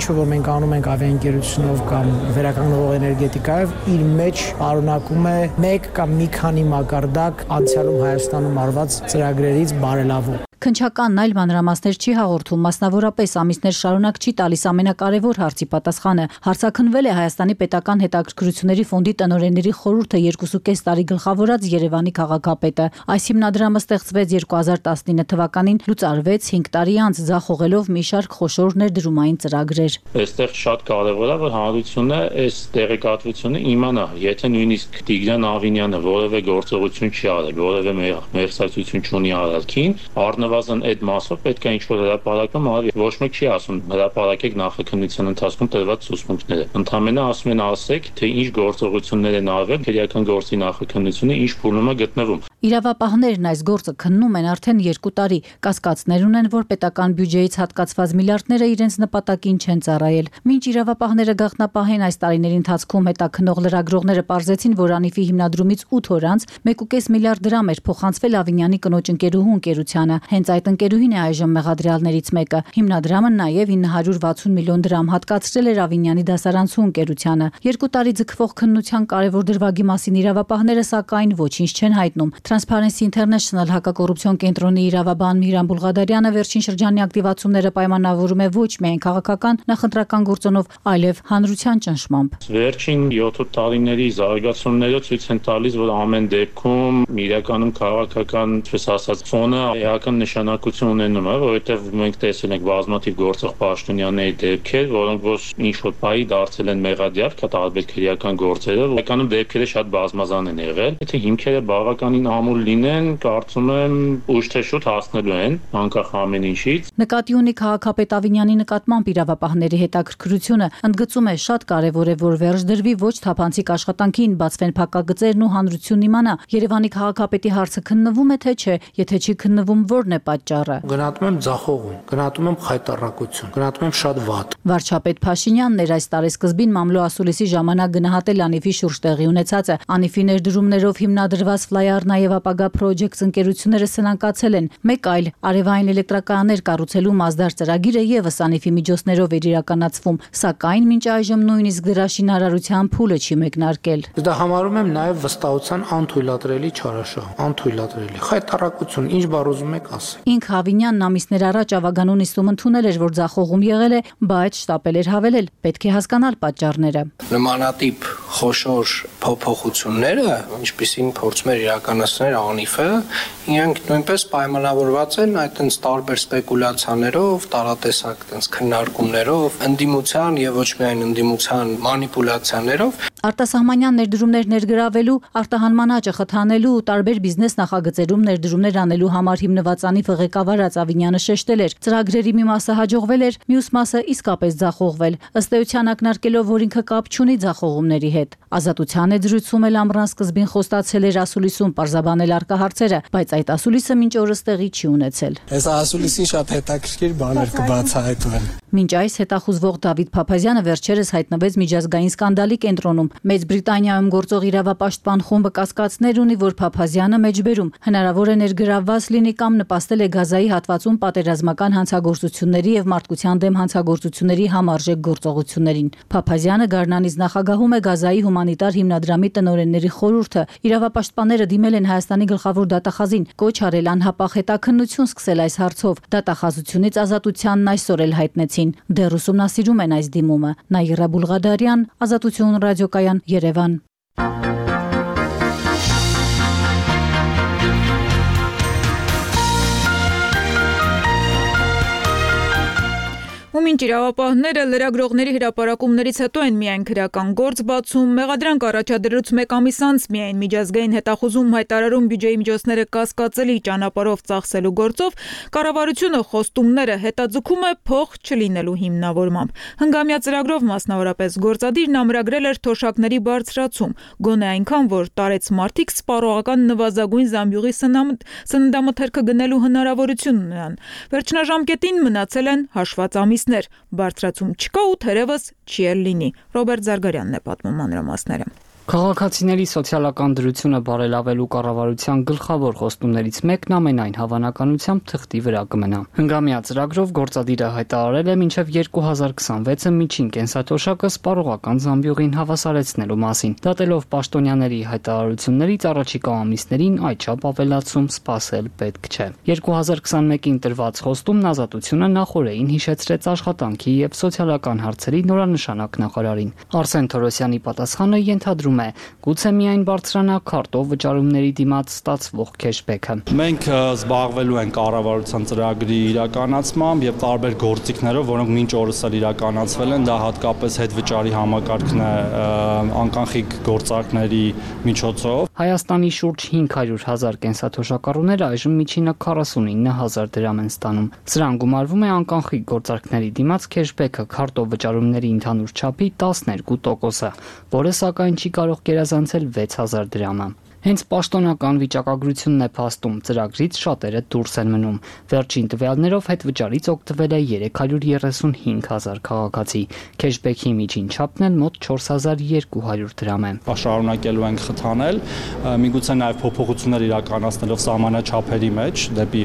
Որ մենք անում ենք ավիաընկերությունով կամ վերականգնող էներգետիկայով, իր մեջ արունակում է 1 կամ մի քանի մակարդակ անցյալում Հայաստանում արված ծրագրերից բարելավում։ Քննչականն այլ մանրամասներ չի հաղորդում, մասնավորապես ամիսներ շարունակ չի տալիս ամենակարևոր հարցի պատասխանը։ Հարցաքննվել է Հայաստանի պետական հետաքրքրությունների ֆոնդի տնօրենների խորհուրդը 2.5 տարի գլխավորած Երևանի քաղաքապետը։ Այս հիմնադրամը ստեղծվեց 2019 թվականին, լուծարվեց 5 տարի անց, ձախողելով մի շարք խոշոր ներդրումային ծրագրեր։ Այստեղ շատ կարևոր է, որ հանրությունը այս տեղեկատվությունը իմանա, եթե նույնիսկ Տիգրան Ավինյանը որևէ գործողություն չի արել, որևէ մեղսացություն չունի արարքին, առնվազն այդ մասով պետք է ինչ-որ հրապարակում արվի։ Ոչ մեկ չի ասում հրապարակեք նախաքննության ընթացքում տրված ցուցմունքները։ Ընդհանրապես ասում են ասեք, թե ինչ գործողություններ են արվել, քրեական գործի նախաքննությունը ինչ փուլում է գտնվում։ Իրավապահներն այս գործը քննում են արդեն 2 տարի։ Կասկածներ ունեն, որ պետական բյուջեից հատկացված միլիարդները իրենց նպատակին չեն ծառայել։ Մինչ իրավապահները գաղտնապահեն այս տարիների ընթացքում հետաքննող լրագրողները պարզեցին, որ Անիֆի հիմնադրումից 8 օր անց 1.5 միլիարդ դրամ էր փոխանցվել Ավինյանի կնոջ ընկերուհու ընկերությանը։ Հենց այդ ընկերուհին է այժմ մեղադրյալներից մեկը։ Հիմնադրամը նաև 960 միլիոն դրամ հատկացրել էր Ավինյանի դասարանցու ընկերությանը։ 2 տարի ձգվող քննության կարևոր դրվագի մասին իրավապահները սակայն ոչինչ չեն հայտնում։ Transparency International հակակոռուպցիոն կենտրոնի իրավաբան Միրան Բուլղադարյանը վերջին շրջանի ակտիվացումները պայմանավորում է ոչ միայն քաղաքական նախընտրական գործոնով, այլև հանրության ճնշմամբ։ Վերջին 7 տարիների զարգացումները ցույց են տալիս, որ ամեն դեպքում իրականում քաղաքական, ինչպես ասած, ֆոնը էական նշանակություն ունենում է, որովհետև մենք տեսել ենք բազմաթիվ գործող պաշտոնյաների դեպքեր, որոնք ոչ ինչ-որ բայի դարձել են մեղադիար, տարբեր քրեական գործերով, էկանում դեպքերը շատ բազմազան են եղել։ Եթե հիմքերը բավականին ամուր լինեն, կարծում եմ ուշ թե շուտ հասնելու են, անկախ ամեն ինչից։ Նկատի ունի քաղաքապետ Ավինյանի նկատմամբ իրավապահների հետաքրքրությունը, ընդգծում է շատ կարևոր է, որ վերջ դրվի ոչ թափանցիկ աշխատանքին, բացվեն փակագծերն ու հանրությունն իմանա, Երևանի քաղաքապետի հարցը քննվում է թե չէ, եթե չի քննվում, որն է պատճառը։ Գնահատում եմ ձախողում, գնահատում եմ խայտառակություն, գնահատում եմ շատ վատ։ Վարչապետ Փաշինյանն էր այս տարեսկզբին մամլո ասուլիսի ժամանակ գնահատել Անիֆի շուրջ տեղի ունեցածը։ Անիֆի ներդրումներով հիմնադրված ֆլայարն եւ ապագա Projects ընկերությունները սնանկացել են։ Մեկ այլ արևային էլեկտրակայաններ կառուցելու Մասդար ծրագիրը եւս Անիֆի միջոցներով էր իրականացվում, սակայն մինչ այժմ նույնիսկ դրա շինարարության փուլը չի մեկնարկել։ Դա համարում եմ նաեւ վստահության անթույլատրելի չարաշահ, անթույլատրելի։ Խայտարակություն, ինչ բառ ուզում եք ասել։ Ինք Հավինյանն ամիսներ առաջ ավագանուն նիստում ընդունել էր, որ ձախողում եղել է, բայց շտապել էր հավելել, պետք է հասկանալ պատճառները։ Նմանատիպ խոշոր փոփոխությունները, ինչպիսին փորձում էր իրականացնել Անիֆը, իրենք նույնպես պայմանավորված են այդտենց տարբեր սպեկուլյացիաներով, տարատեսակ այդտենց քննարկումներով, ընդդիմության եւ ոչ միայն ընդդիմության մանիպուլյացիաներով։ Արտասահմանյան ներդրումներ ներգրավելու, արտահանման աճը խթանելու ու տարբեր բիզնես նախագծերում ներդրումներ անելու համար հիմնված Անիֆը ղեկավարած Ավինյանը շեշտել էր, ծրագրերի մի մասը հաջողվել էր, մյուս մասը իսկապես ձախողվել, ըստ էության ակնարկելով, որ ինքը կապ չունի ձախողումների հետ։ Ազատության է զրույցում էլ ամռան սկզբին խոստացել էր ասուլիսում պարզաբանել արկա հարցերը, բայց այդ ասուլիսը մինչ օրս տեղի չի ունեցել։ Այս ասուլիսին շատ հետաքրքիր բաներ կբացահայտվեն։ Մինչ այս հետախուզվող Դավիթ Փափազյանը վերջերս հայտնվեց միջազգային սկանդալի կենտրոնում։ Մեծ Բրիտանիայում գործող իրավապաշտպան խումբը կասկածներ ունի, որ Փափազյանը մեջբերում հնարավոր է ներգրավված լինի կամ նպաստել է Գազայի հատվածում պատերազմական հանցագործությունների եւ մարդկության դեմ հանցագործությունների համարժեք գործողություններին։ Փափազյանը Գառնանից նախագահում է Գազայի հումանիտար հիմնադրամի տնօրենների խորհուրդը։ Իրավապաշտպանները դիմել են Հայաստանի գլխավոր դատախազին, կոչ արել անհապաղ հետաքննություն սկսել այս հարցով։ Դատախազությունից ազատությանն այսօր էլ հայտնեցին։ Դեռ ուսումնասիրում են այս դիմումը։ Նաիրա Բուլղադարյան, Ազատություն ռադիոկայան, Երևան։ Ու մինչ իրավապահները լրագրողների հրապարակումներից հետո են միայն քրեական գործ բացում, մեղադրանք առաջադրելուց մեկ ամիս անց միայն միջազգային հետախուզում հայտարարում բյուջեի միջոցները կասկածելի ճանապարհով ծախսելու գործով, կառավարությունը խոստումները հետաձգում է փող չլինելու հիմնավորմամբ։ Հնգամյա ծրագրով մասնավորապես գործադիրն ամրագրել էր թոշակների բարձրացում, գոնե այնքան, որ տարեց մարդիկ սպառողական նվազագույն զամբյուղի սննդամթերքը գնելու հնարավորություն ունենան։ Վերջնաժամկետին մնացել են հաշված ամիս բարձրացում չկա ու թերևս չի էլ լինի։ Ռոբերտ Զարգարյանն է պատմում մանրամասները։ Քաղաքացիների սոցիալական դրությունը բարելավելու կառավարության գլխավոր խոստումներից մեկն ամենայն հավանականությամբ թղթի վրա կմնա։ Հնգամյա ծրագրով գործադիրը հայտարարել է մինչև 2026-ը միջին կենսաթոշակը սպառողական զամբյուղին հավասարեցնելու մասին։ Դատելով պաշտոնյաների հայտարարություններից առաջիկա ամիսներին այդչափ ավելացում սպասել պետք չէ։ 2021-ին տրված խոստումն Ազատությունը նախօրեին հիշեցրեց աշխատանքի եւ սոցիալական հարցերի նորանշանակ նախարարին։ Արսեն Թորոսյանի պատասխանը ենթադրում գուցե միայն բարձրանա քարտով վճարումների դիմաց ստացվող քեշբեքը։ Մենք զբաղվելու ենք կառավարության ծրագրի իրականացմամբ եւ տարբեր գործիքներով, որոնք մինչ օրս էլ իրականացվել են, դա հատկապես հետվճարի համակարգն է անկանխիկ գործարքների միջոցով։ Հայաստանի շուրջ 500,000 կենսաթոշակառուներ այժմ միջինը 49,000 դրամ են ստանում։ Սրան գումարվում է անկանխիկ գործարքների դիմաց քեշբեքը քարտով վճարումների ընդհանուր չափի 12%-ը, որը սակայն չի կարող գերազանցել 6,000 դրամը։ Հենց պաշտոնական վիճակագրությունն է փաստում, ծրագրից շատերը դուրս են մնում։ Վերջին տվյալներով հետվճարից օգտվել է 335,000 քաղաքացի։ Քեշբեքի միջին չափն էլ մոտ 4,200 դրամ է։ Շարունակելու ենք խթանել, միգուցե նաև փոփոխություններ իրականացնելով սահմանաչափերի մեջ դեպի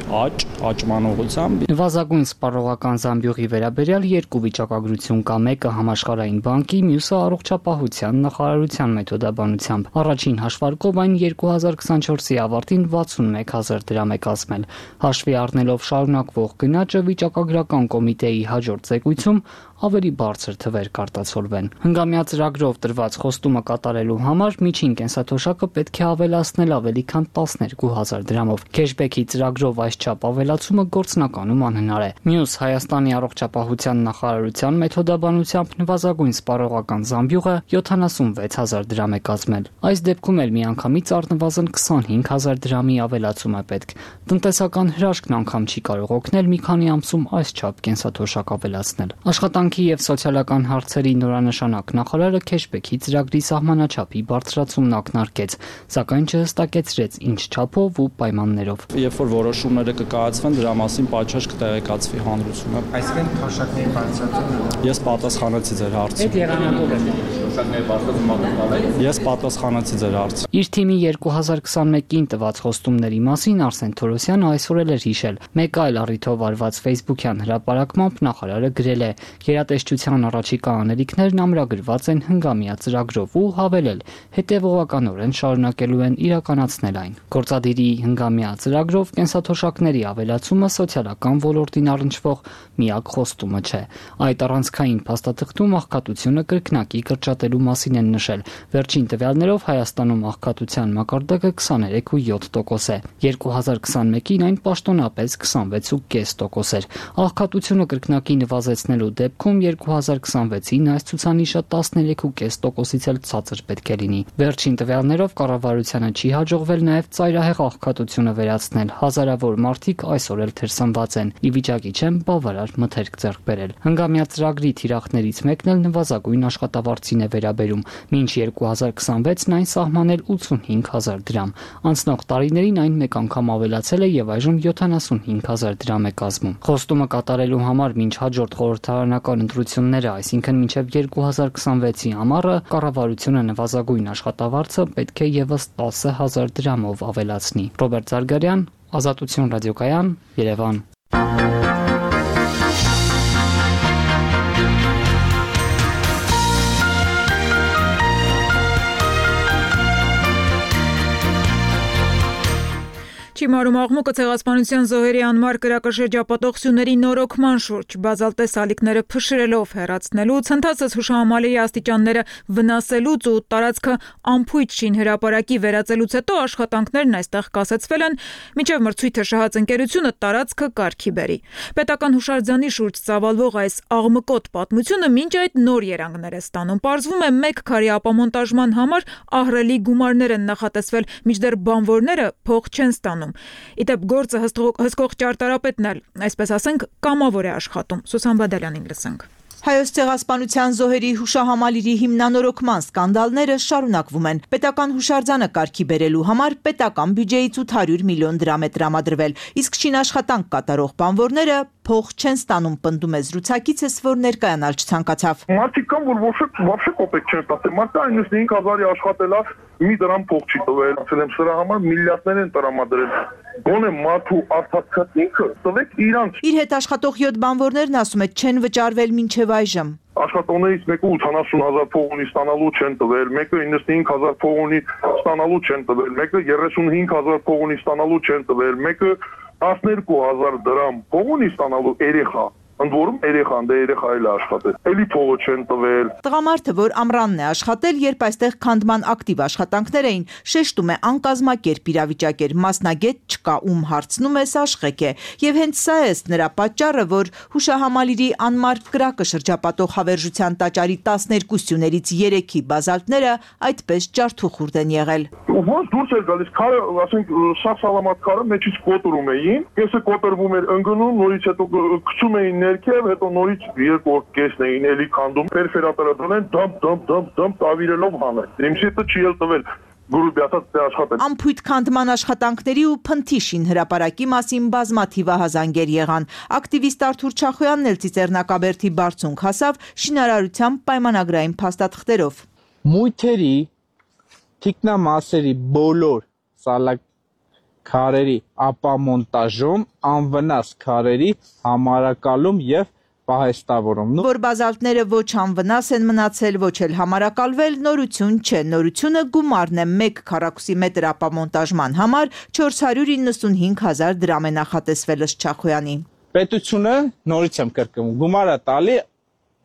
աճման ուղղությամբ։ Նվազագույն սպառողական զամբյուղի վերաբերյալ երկու վիճակագրություն կա, մեկը համաշխարհային բանկի, մյուսը առողջապահության նախարարության մեթոդաբանությամբ։ Առաջին հաշվարկով այն 2024-ի ավարտին 61,000 դրամ է կազմել։ Հաշվի առնելով շարունակվող գնաճը վիճակագրական կոմիտեի հաջորդ զեկույցում ավելի բարձր թվեր կարտացոլվեն։ Հնգամյա ծրագրով տրված խոստումը կատարելու համար միջին կենսաթոշակը պետք է ավելացնել ավելի քան 12,000 դրամով։ Քեշբեքի ծրագրով այսչափ ավելացումը գործնականում անհնար է։ Մյուս Հայաստանի առողջապահության նախարարության մեթոդաբանությամբ նվազագույն սպառողական զամբյուղը 76,000 դրամ է կազմել։ Այս դեպքում էլ միանգամից առնվազն 25,000 դրամի ավելացում է պետք։ Տնտեսական հրաշքն անգամ չի կարող օգնել մի քանի ամսում այսչափ կենսաթոշակ ավելացնել։ Աշխատանքի եւ սոցիալական հարցերի նորանշանակ նախարարը քեշբեքի ծրագրի սահմանաչափի բարձրացումն ակնարկեց, սակայն չհստակեցրեց ինչ չափով ու պայմաններով։ Երբ որ որոշումները կկայացվեն, դրա մասին պատշաճ կտեղեկացվի հանրությունը։ Այսինքն թոշակների բարձրացումը։ Ես պատասխանեցի ձեր հարցին։ Այդ եղանակով է թոշակների բարձրացումը։ Ես պատասխանեցի ձեր հարցին։ Իր թիմի 2021-ին տված խոստումների մասին Արսեն Թորոսյանը այսօր էլ էր հիշել։ Մեկ այլ առիթով արված Facebook-յան հրապարակմամբ նախարարը գրել է. «Գերատեսչության առաջիկա անելիքներն ամրագրված են հնգամյա ծրագրով» ու հավելել. «Հետևողականորեն շարունակելու են իրականացնել այն»։ Գործադիրի հնգամյա ծրագրով կենսաթոշակների ավելացումը սոցիալական ոլորտին առնչվող միակ խոստումը չէ։ Այդ առանցքային փաստաթղթում աղքատությունը կրկնակի կրճատելու մասին են նշել։ Վերջին տվյալներով Հայաստանում աղքատության մակարդակը 23.7% է։ 2021-ին այն պաշտոնապես 26.5% էր։ Աղքատությունը կրկնակի նվազեցնելու դեպքում 2026-ին այս ցուցանիշը 13.5%-ից էլ ցածր պետք է լինի։ Վերջին տվյալներով կառավարությանը չի հաջողվել նաև ծայրահեղ աղքատությունը վերացնել։ Հազարավոր մարդիկ այսօր էլ թերսնված են, ի վիճակի չեն բավարար մթերք ձեռք բերել։ Հնգամյա ծրագրի թիրախներից մեկն էլ նվազագույն աշխատավարձին է վերաբերում։ Մինչ 2026-ն այն սահմանել 85,000 դրամ։ Անցնող տարիներին այն մեկ անգամ ավելացել է եւ այժմ 75,000 դրամ է կազմում։ Խոստումը կատարելու համար մինչ հաջորդ խորհրդարանական ընտրությունները, այսինքն մինչեւ 2026-ի ամառը, կառավարությունը նվազագույն աշխատավարձը պետք է եւս 10,000 դրամով ավելացնի։ Ռոբերտ Զարգարյան, Ազատություն ռադիոկայան, Երևան։ Չիմարում աղմուկը ցեղասպանության զոհերի անմար կրակաշրջապատող սյուների նորոգման շուրջ բազալտես ալիքները փշրելով հեռացնելուց, հնդածս հուշահամալիրի աստիճանները վնասելուց ու տարածքը ամփույթ շին հրապարակի վերածելուց հետո աշխատանքներն այստեղ կասեցվել են, մինչև մրցույթը շահած ընկերությունը տարածքը կարգի բերի։ Պետական հուշարձանի շուրջ ծավալվող այս աղմկոտ պատմությունը մինչ այդ նոր երանգներ է ստանում։ Պարզվում է 1 քարի ապամոնտաժման համար ահռելի գումարներ են նախատեսվել, մինչդեռ բանվորները փող չեն ստանում։ Իդեպ գործը հսկող ճարտարապետն էլ, այսպես ասենք, կամավոր է աշխատում։ Սուսան Բադալյանին լսենք։ Հայոց ցեղասպանության զոհերի հուշահամալիրի հիմնանորոգման սկանդալները շարունակվում են։ Պետական հուշարձանը կարգի բերելու համար պետական բյուջեից 800 միլիոն դրամ է տրամադրվել, իսկ շինաշխատանք կատարող բանվորները փող չեն ստանում, պնդում է զրուցակիցս, որ ներկայանալ չցանկացավ։ Մարդիկ կան, որ вообще կոպեկ չեն ստացել։ Մարդը 95,000-ի աշխատելավ մի դրամ փող չի տվել, ասել եմ, սրա համար միլիարդներ են տրամադրել։ Գոնե մարդու արդյունքը ինքը տվեք իրանց։ Իր հետ աշխատող 7 բանվորներն ասում է չեն վճարվել մինչև այժմ։ Աշխատողներից մեկը 80,000 փող ունի, ստանալու չեն տվել, մեկը 95,000 փող ունի, ստանալու չեն տվել, մեկը 35,000 փող ունի, ստանալու չեն տվել, մեկը 12,000 դրամ փող ունի, ստանալու երեխա։ Ընդ որում երեխան, դե երեխա էլ աշխատել։ Էլի փողը չեն տվել։ Տղամարդը, որ ամռանն է աշխատել, երբ այստեղ քանդման ակտիվ աշխատանքներ էին, շեշտում է անկազմակերպ իրավիճակ էր, մասնագետ չկա, ում հարցնում է Սաշխեք է, եւ հենց սա է նրա պատճառը, որ հուշահամալիրի անմար կրակը շրջապատող հավերժության տաճարի 12 սյուներից 3-ի բազալտները այդպես ջարդուխուրդ են եղել։ Ոնց դուրս էր գալիս քարը, ասենք, շախ սալամատ քարը մեջից կոտրում էին, կեսը կոտրվում էր ընկնում, նորից հետո գցում էին ներքև, հետո նորից երկրորդ կեսն էին էլի քանդում, պերֆերատորը դրել, դմp տավիրելով հանել։ Իմսիտը չի էլ տվել։ Ամփույթ քանդման աշխատանքների ու փնթիշին հրապարակի մասին բազմաթիվ ահազանգեր եղան։ Ակտիվիստ Արթուր Չախոյանն էլ Ծիծեռնակաբերդի բարձունք հասավ շինարարության պայմանագրային փաստաթղթերով։ Մույթերի թիկնամասերի բոլոր սալաքարերի ապամոնտաժում, անվնաս քարերի համարակալում եւ պահեստավորում։ Որ բազալտները ոչ անվնաս են մնացել, ոչ էլ համարակալվել, նորություն չէ։ Նորությունը գումարն է 1 քառակուսի մետր ապամոնտաժման համար 495,000 դրամ է նախատեսվել ըստ Չախոյանի։ Պետությունը, նորից եմ կրկնում, գումարը տալի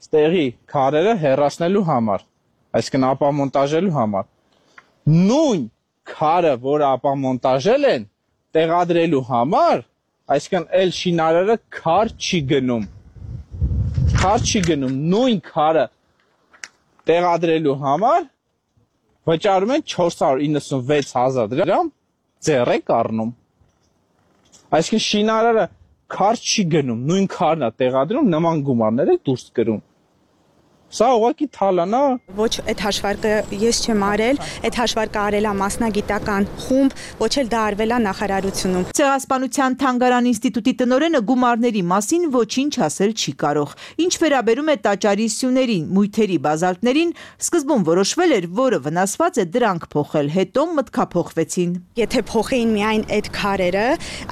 ստեղի քարերը հեռացնելու համար, այսինքն ապամոնտաժելու համար։ Նույն քարը, որ ապամոնտաժել են, տեղադրելու համար, այսինքն էլ շինարարը քար չի գնում։ Քար չի գնում, նույն քարը տեղադրելու համար վճարում են 496,000 դրամ ձեռ եք առնում։ Այսինքն շինարարը քար չի գնում, նույն քարն է տեղադրում, նման գումարներ է դուրս գրում։ Սա ուղղակի թալան է։ Ոչ այդ հաշվարկը ես չեմ արել, այդ հաշվարկը արել է մասնագիտական խումբ, ոչ էլ դա արվել է նախարարությունում։ Ցեղասպանության թանգարան ինստիտուտի տնօրենը գումարների մասին ոչինչ ասել չի կարող։ Ինչ վերաբերում է տաճարի սյուներին, մույթերի բազալտներին, սկզբում որոշվել էր, որը վնասված է դրանք փոխել, հետո մտքափոխվեցին։ Եթե փոխեին միայն այդ քարերը,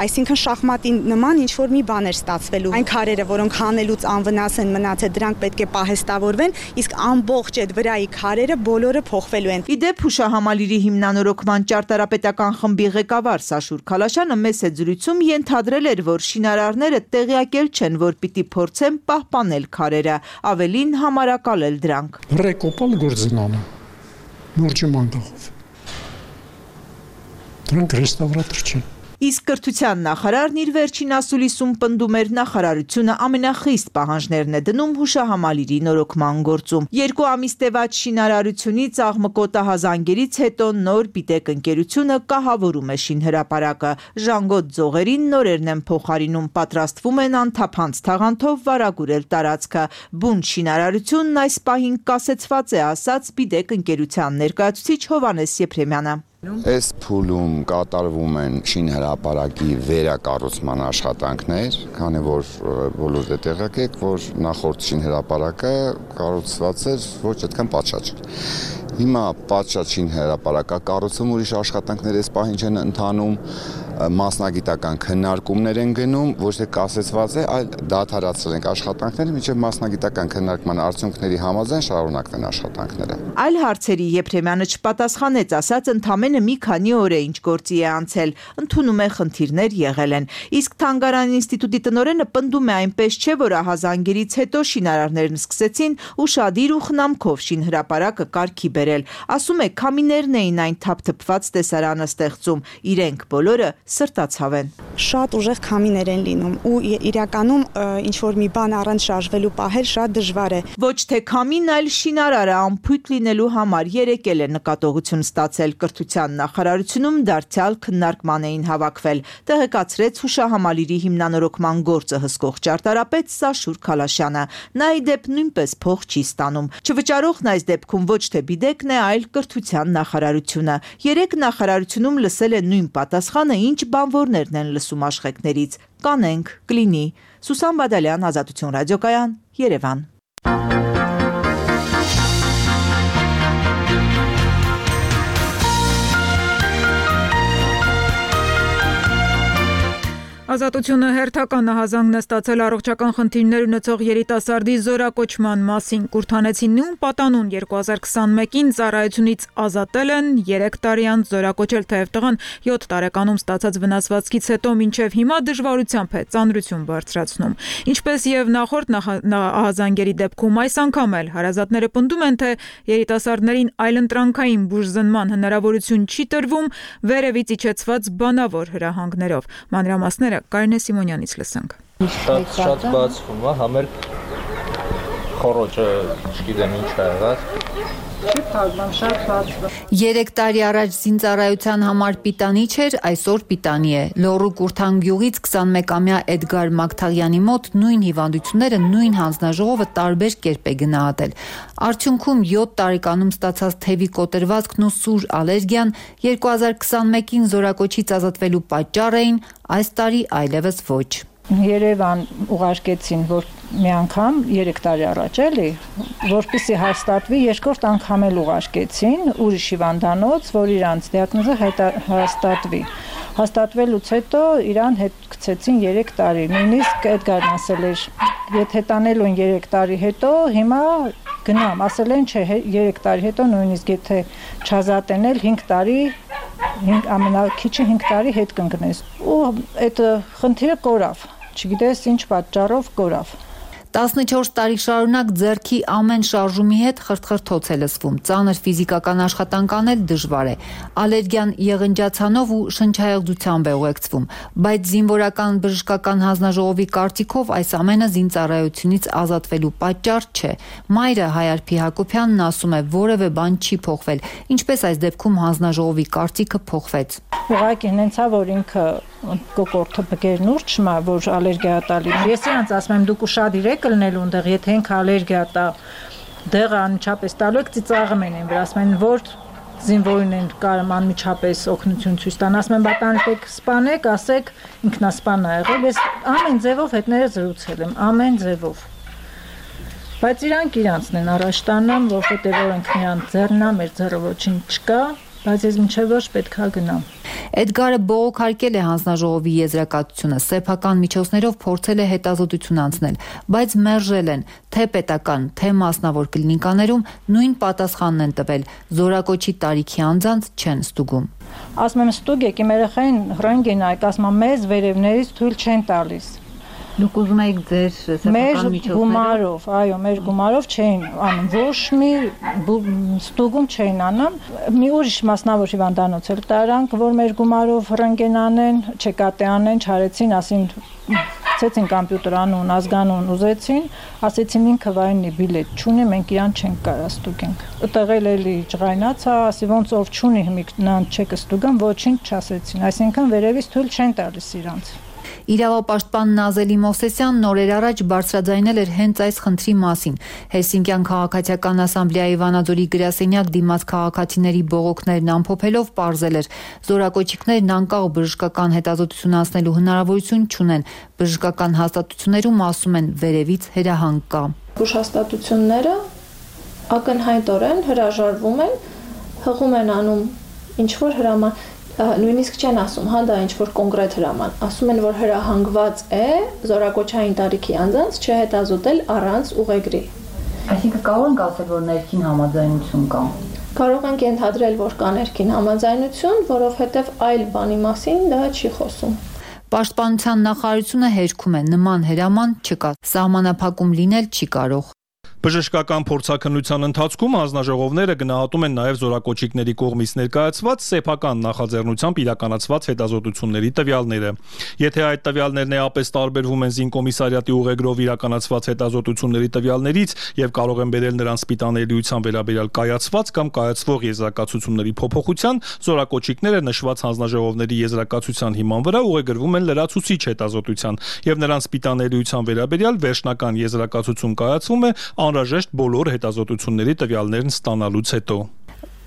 այսինքն շախմատի նման ինչ որ մի բան էր ստացվելու։ Այն քարերը, որոնք հանելուց անվնաս են մնացել, դրանք պետք է պահեստավորվեն, իսկ ամբողջ այդ վրայի քարերը բոլորը փոխվելու են։ Իդեպ հուշահամալիրի հիմնանորոգման ճարտարապետական խմբի ղեկավար Սաշուր Քալաշյանը մեծ զրույցում ենթադրել էր, որ շինարարները տեղյակել չեն, որ պիտի փորձեն պահպանել քարերը, ավելին համարակալել դրանք։ Ռեկոպալ գործնանը նորջի մանգախով։ Դրանք ռեստավրատոր չեն։ Իսկ կրթության նախարարն իր վերջին ասուլիսում պնդում էր նախարարությունը ամենախիստ պահանջներն է դնում հուշահամալիրի նորոգման գործում։ 2 ամիս տևած շինարարությունից աղմկոտահազանգերից հետո նոր Պիտեք ընկերությունը կահավորում է շինհրապարակը։ Ժանգոտ ձողերին նորերն են փոխարինում, պատրաստվում են անթափանց թաղանթով վարագուրել տարածքը։ Բուն շինարարությունն այս պահին կասեցված է, ասաց Պիտեք ընկերության ներկայացուցիչ Հովհաննես Եփրեմյանը։ Այս փուլում կատարվում են շինհրապարակի վերակառուցման աշխատանքներ, քանի որ բոլորդ է տեղյակ եք, որ նախորդ շինհրապարակը կառուցված էր ոչ այդքան պատշաճ։ Հիմա պատշաճ շինհրապարակը կառուցում, ուրիշ աշխատանքներ այս պահին չեն ընթանում, մասնագիտական քննարկումներ են գնում, ոչ թե կասեցված է, այլ դադարացրել ենք աշխատանքները, մինչև մասնագիտական քննարկման արդյունքների համաձայն շարունակվեն աշխատանքները։ Այլ հարցերի Եփրեմյանը չպատասխանեց, ասաց ընդամենը մի քանի օր է ինչ գործի է անցել, ընդունում է խնդիրներ եղել են։ Իսկ Թանգարան ինստիտուտի տնօրենը պնդում է այնպես չէ, որ ահազանգերից հետո շինարարներն սկսեցին ուշադիր ու խնամքով շինհրապարակը կարգի բերել։ Ասում է, քամիներն էին այն թափթփված տեսարանը ստեղծում, իրենք բոլորը սրտացավ են։ Շատ ուժեղ քամիներ են լինում ու իրականում ինչ որ մի բան առանց շարժվելու պահել շատ դժվար է։ Ոչ թե քամին, այլ շինարարը անփույթ լինելու համար երեկել է նկատողություն ստացել կրթության նախարարությունում դարձյալ քննարկման էին հավաքվել, տեղեկացրեց հուշահամալիրի հիմնանորոգման գործը հսկող ճարտարապետ Սաշուր Քալաշյանը։ Նա ի դեպ նույնպես փող չի ստանում։ Չվճարողն այս դեպքում ոչ թե Պիտեկն է, այլ կրթության նախարարությունը։ Երեք նախարարությունում լսել է նույն պատասխանը, ինչ բանվորներն են լսում աշխեքներից։ Կանենք, կլինի։ Սուսան Բադալյան, Ազատություն ռադիոկայան, Երևան։ Ազատությունը հերթական նահազանգն է ստացել առողջական խնդիրներ ունեցող երիտասարդի զորակոչման մասին։ Կուրթանեցին նույն պատանուն 2021-ին ծառայությունից ազատել են, 3 տարի անց զորակոչել, թեև տղան 7 տարեկանում ստացած վնասվածքից հետո մինչև հիմա դժվարությամբ է ծանրություն բարձրացնում։ Ինչպես եւ նախորդ ահազանգերի դեպքում, այս անգամ էլ հարազատները պնդում են, թե երիտասարդներին այլընտրանքային բուժզնման հնարավորություն չի տրվում վերևից իջեցված բանավոր հրահանգներով։ Մանրամասները Կարինե Սիմոնյանից լսենք։ Շատ բացվում է, համեր խորոճը չգիտեմ ինչ է եղած։ Չի փակվում, շատ բացվում։ 3 տարի առաջ զինծառայության համար պիտանի չէր, այսօր պիտանի է։ Լոռու Կուրթան գյուղից 21-ամյա Էդգար Մակթաղյանի մոտ նույն հիվանդությունները նույն հանձնաժողովը տարբեր կերպ է գնահատել։ Արդյունքում 7 տարեկանում ստացած թևի կոտրվածքն ու սուր ալերգիան 2021-ին զորակոչից ազատվելու պատճառ էին, այս տարի այլևս ոչ։ Երևան ուղարկեցին, որ մի անգամ 3 տարի առաջ էլի, որպեսզի հաստատվի, երկրորդ անգամ էլ ուղարկեցին ուրիշ հիվանդանոց, որ իրանց դիագնոզը հաստատվի։ Հաստատվելուց հետո իրան հետ գցեցին 3 տարի։ Նույնիսկ Էդգարն ասել էր, եթե տանելու են 3 տարի հետո, հիմա գնամ, ասել են չէ, 3 տարի հետո նույնիսկ եթե չազատեն էլ 5 տարի ամենակիչը 5 տարի հետ կընկնես։ Ու այդ խնդիրը կորավ, չգիտես ինչ պատճառով կորավ։ 14 տարի շարունակ ձեռքի ամեն շարժումի հետ խրթխրթոց է լսվում, ծանր ֆիզիկական աշխատանք անել դժվար է, ալերգիան եղնջացանով ու շնչահեղձությամբ է ուղեկցվում, բայց զինվորական բժշկական հանձնաժողովի կարծիքով այս ամենը զինծառայությունից ազատվելու պատճառ չէ։ Մայրը Հայարփի Հակոբյանն ասում է, որևէ բան չի փոխվել, ինչպես այս դեպքում հանձնաժողովի կարծիքը փոխվեց։ Ուղղակի հենց է, որ ինքը կոկորտը բգերն ուրճ մա, որ ալերգիա տալի։ Ես իրանց ասում եմ, դուք ուշադիր եք լնելու ընդեղ, եթե ինքը ալերգիա տա, դեղը անմիջապես տալու եք ծիծաղում են վրա, ասում են որ զինվորին են կարում անմիջապես օգնություն ցույց տան, ասում են բանտանեք սպանեք, ասեք ինքնասպան ա եղել, ես ամեն ձևով հետները զրուցել եմ, ամեն ձևով։ Բայց իրանցն են առաջ տանում, որովհետև օրենք նրանց ձեռնա, մեր ձեռը ոչինչ չկա, բայց ես մինչև ոչ պետքա գնամ։ Էդգարը բողոքարկել է հանձնաժողովի եզրակացությունը, սեփական միջոցներով փորձել է հետազոտություն անցնել, բայց մերժել են, թե պետական, թե մասնավոր կլինիկաներում նույն պատասխանն են տվել, զորակոչի տարիքի անձանց չեն ստուգում։ Ասում եմ ստուգ եք, իմ երեխային ռենտգեն այք, ասում եմ մեզ վերևներից թույլ չեն տալիս։ Դուք ուզում եք ձեր սեփական միջոցներով, այո, մեր գումարով չէին անում, ոչ մի ստուգում չէին անում։ Մի ուրիշ մասնավոր հիվանդանոց էլ տարանք, որ մեր գումարով ռենտգեն անեն, չեկատե անեն, չարեցին, ասին ցեցին կոմպյուտեր անուն, ազգանուն ուզեցին, ասեցին ինքը վայնի բիլետ չունի, մենք իրան չենք կարա ստուգենք։ Տղել էլի ջղայնացա, ասի ոնց ով չունի հիմիկնան չեք ստուգան, ոչինչ չասեցին, այսինքն վերևից թույլ չեն տալիս իրանց։ Իրավապաշտպան Նազելի Մովսեսյանն օրեր առաջ բարձրաձայնել էր հենց այս խնդրի մասին։ Հելսինկյան քաղաքացիական ասամբլեայի Վանաձորի գրասենյակ դիմաց քաղաքացիների բողոքներն ամփոփելով պարզել էր, զորակոչիկներն անկախ բժշկական հետազոտություն անցնելու հնարավորություն չունեն։ Բժշկական հաստատություններում ասում են վերևից հրահանգ կա։ Հաստատությունները ակնհայտորեն հրաժարվում են, հղում են անում ինչ որ հրաման նույնիսկ չեն ասում, հա դա ինչ որ կոնկրետ հրաման, ասում են որ հրահանգված է զորակոչային տարիքի անձանց չհետազոտել առանց ուղեգրի։ Այսինքն կարող ենք ասել, որ ներքին համաձայնություն կա։ Կարող ենք ենթադրել, որ կա ներքին համաձայնություն, որովհետև այլ բանի մասին դա չի խոսում։ Պաշտպանության նախարարությունը հերքում է, նման հրաման չկա, սահմանափակում լինել չի կարող։ Բժշկական փորձաքննության ընթացքում հանձնաժողովները գնահատում են նաև զորակոչիկների կողմից ներկայացված սեփական նախաձեռնությամբ իրականացված հետազոտությունների տվյալները։ Եթե այդ տվյալներն էապես տարբերվում են զինկոմիսարիատի ուղեգրով իրականացված հետազոտությունների տվյալներից եւ կարող են բերել նրանց սպիտաներիության վերաբերյալ կայացված կամ կայացվող եզրակացությունների փոփոխության, զորակոչիկները նշված հանձնաժողովների եզրակացության հիման վրա ուղեգրվում են լրացուցիչ հետազոտության եւ նրանց սպիտաներիության վերաբերյալ վերջնական եզրակացություն կայացվում է անհրաժեշտ բոլոր հետազոտությունների տվյալներն ստանալուց հետո։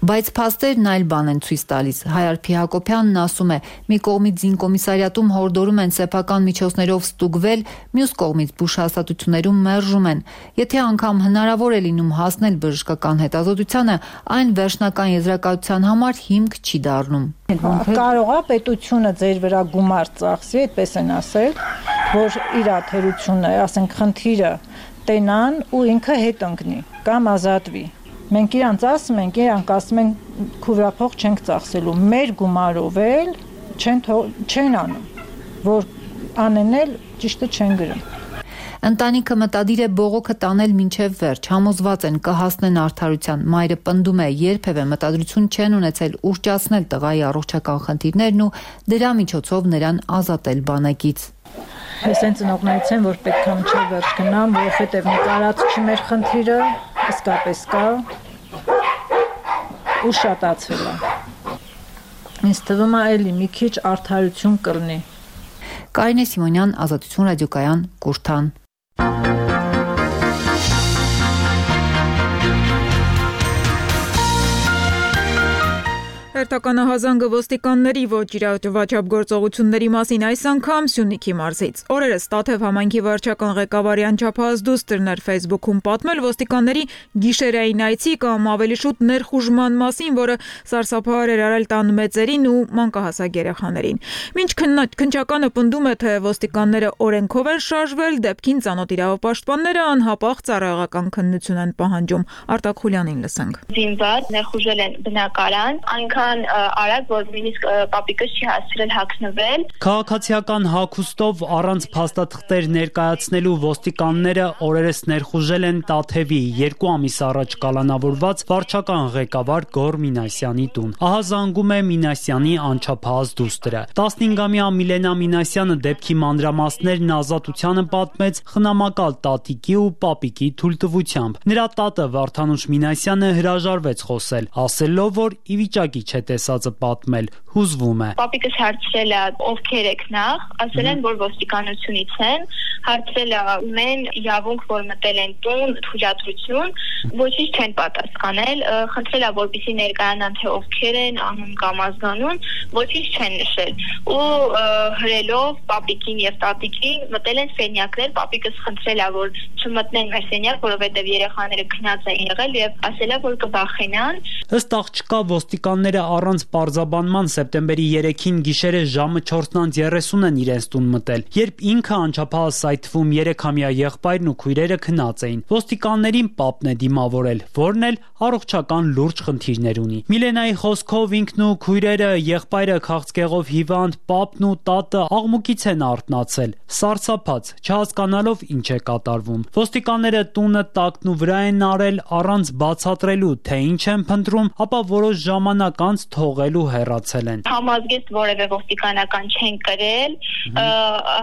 Բայց փաստերն այլ բան են ցույց տալիս։ Հայարփի Հակոբյանն ասում է, մի կողմից զինկոմիսարիատում հորդորում են սեփական միջոցներով ստուգվել, մյուս կողմից բուժհաստատություններում մերժում են։ Եթե անգամ հնարավոր է լինում հասնել բժշկական հետազոտությանը, այն վերջնական եզրակացության համար հիմք չի դառնում։ Կարող է պետությունը ձեր վրա գումար ծախսի, այդպես են ասել, որ իր թերությունը, ասենք խնդիրը տենան ու ինքը հետ ընկնի կամ ազատվի։ Մենք իրանց ասում ենք, իրանք ասում են քուրափող չենք ծախսելու, մեր գումարով էլ չեն անում, որ անեն էլ ճիշտը չեն գրում։ Ընտանիքը մտադիր է բողոքը տանել մինչև վերջ, համոզված են կհասնեն արդարության։ Մայրը պնդում է, երբևէ մտադրություն չեն ունեցել ուռճացնել տղայի առողջական խնդիրներն ու դրա միջոցով նրան ազատել բանակից։ Ես այն ծնողներից եմ, որ պետք է մինչև վերջ գնամ, որովհետև նկարած չի մեր խնդիրը, իսկապես կա ու շատացվել է։ Ինձ թվում է էլի մի քիչ արդարություն կլինի։ Կարինե Սիմոնյան, Ազատություն ռադիոկայան, Կուրթան։ Հերթականահազանգը ոստիկանների ոչ իրավաչափ գործողությունների մասին այս անգամ Սյունիքի մարզից։ Օրերս Տաթև համայնքի վարչական ղեկավարի անչափահաս դուստրն էր Facebook-ում պատմել ոստիկանների գիշերային այցի կամ ավելի շուտ ներխուժման մասին, որը սարսափահար էր արել տան մեծերին ու մանկահասակ երեխաներին։ Մինչ քննչականը պնդում է, թե ոստիկանները օրենքով են շարժվել, դեպքին ծանոթ իրավապաշտպանները անհապաղ ծառայողական քննություն են պահանջում։ Արտակ Խուլյանին լսենք։ Զինված ներխուժել են բնակարան, այնքան արագ, որ նույնիսկ պապիկս չի հասցրել հագնվել։ Քաղաքացիական հագուստով առանց փաստաթղթեր ներկայացնելու ոստիկանները օրերս ներխուժել են Տաթևի 2 ամիս առաջ կալանավորված վարչական ղեկավար Գոռ Մինասյանի տուն։ Ահա զանգում է Մինասյանի անչափահաս դուստրը։ 15-ամյա Միլենա Մինասյանը դեպքի մանրամասներն Ազատությանը պատմեց խնամակալ տատիկի ու պապիկի թույլտվությամբ։ Նրա տատը Վարդանուշ Մինասյանը հրաժարվեց խոսել, ասելով, որ ի վիճակի չէ տեսածը պատմել, հուզվում է։ Պապիկս հարցրել է ովքեր եք նախ, ասել են, որ ոստիկանությունից են, հարցրել են իրավունք, որ մտել են տուն, թույլատրություն, ոչինչ չեն պատասխանել, խնդրել է, որպեսզի ներկայանան, թե ովքեր են, անուն կամ ազգանուն, ոչինչ չեն նշել։ Ու հրելով պապիկին եւ տատիկին մտել են սենյակներ, պապիկս խնդրել է, որ չմտնեն մեր սենյակ, որովհետեւ երեխաները քնած են եղել եւ ասել է, որ կբախենան։ Ըստ աղջկա ոստիկանները առանց պարզաբանման սեպտեմբերի 3-ին գիշերը ժամը 4:30 են իրենց տուն մտել, երբ ինքը անչափահաս սայթվում 3-ամյա եղբայրն ու քույրերը քնած էին։ Ոստիկաններին պապն է դիմավորել, որն էլ առողջական լուրջ խնդիրներ ունի։ Միլենայի խոսքով ինքն ու քույրերը, եղբայրը քաղցկեղով հիվանդ, պապն ու տատը աղմուկից են արթնացել, սարսափած, չհասկանալով ինչ է կատարվում։ Ոստիկանները տունը տակն ու վրա են արել առանց բացատրելու, թե ինչ են փնտրում, ապա որոշ ժամանակ անց թողել ու հեռացել են։ Համազգեստ որևէ ոստիկանական չեն կրել,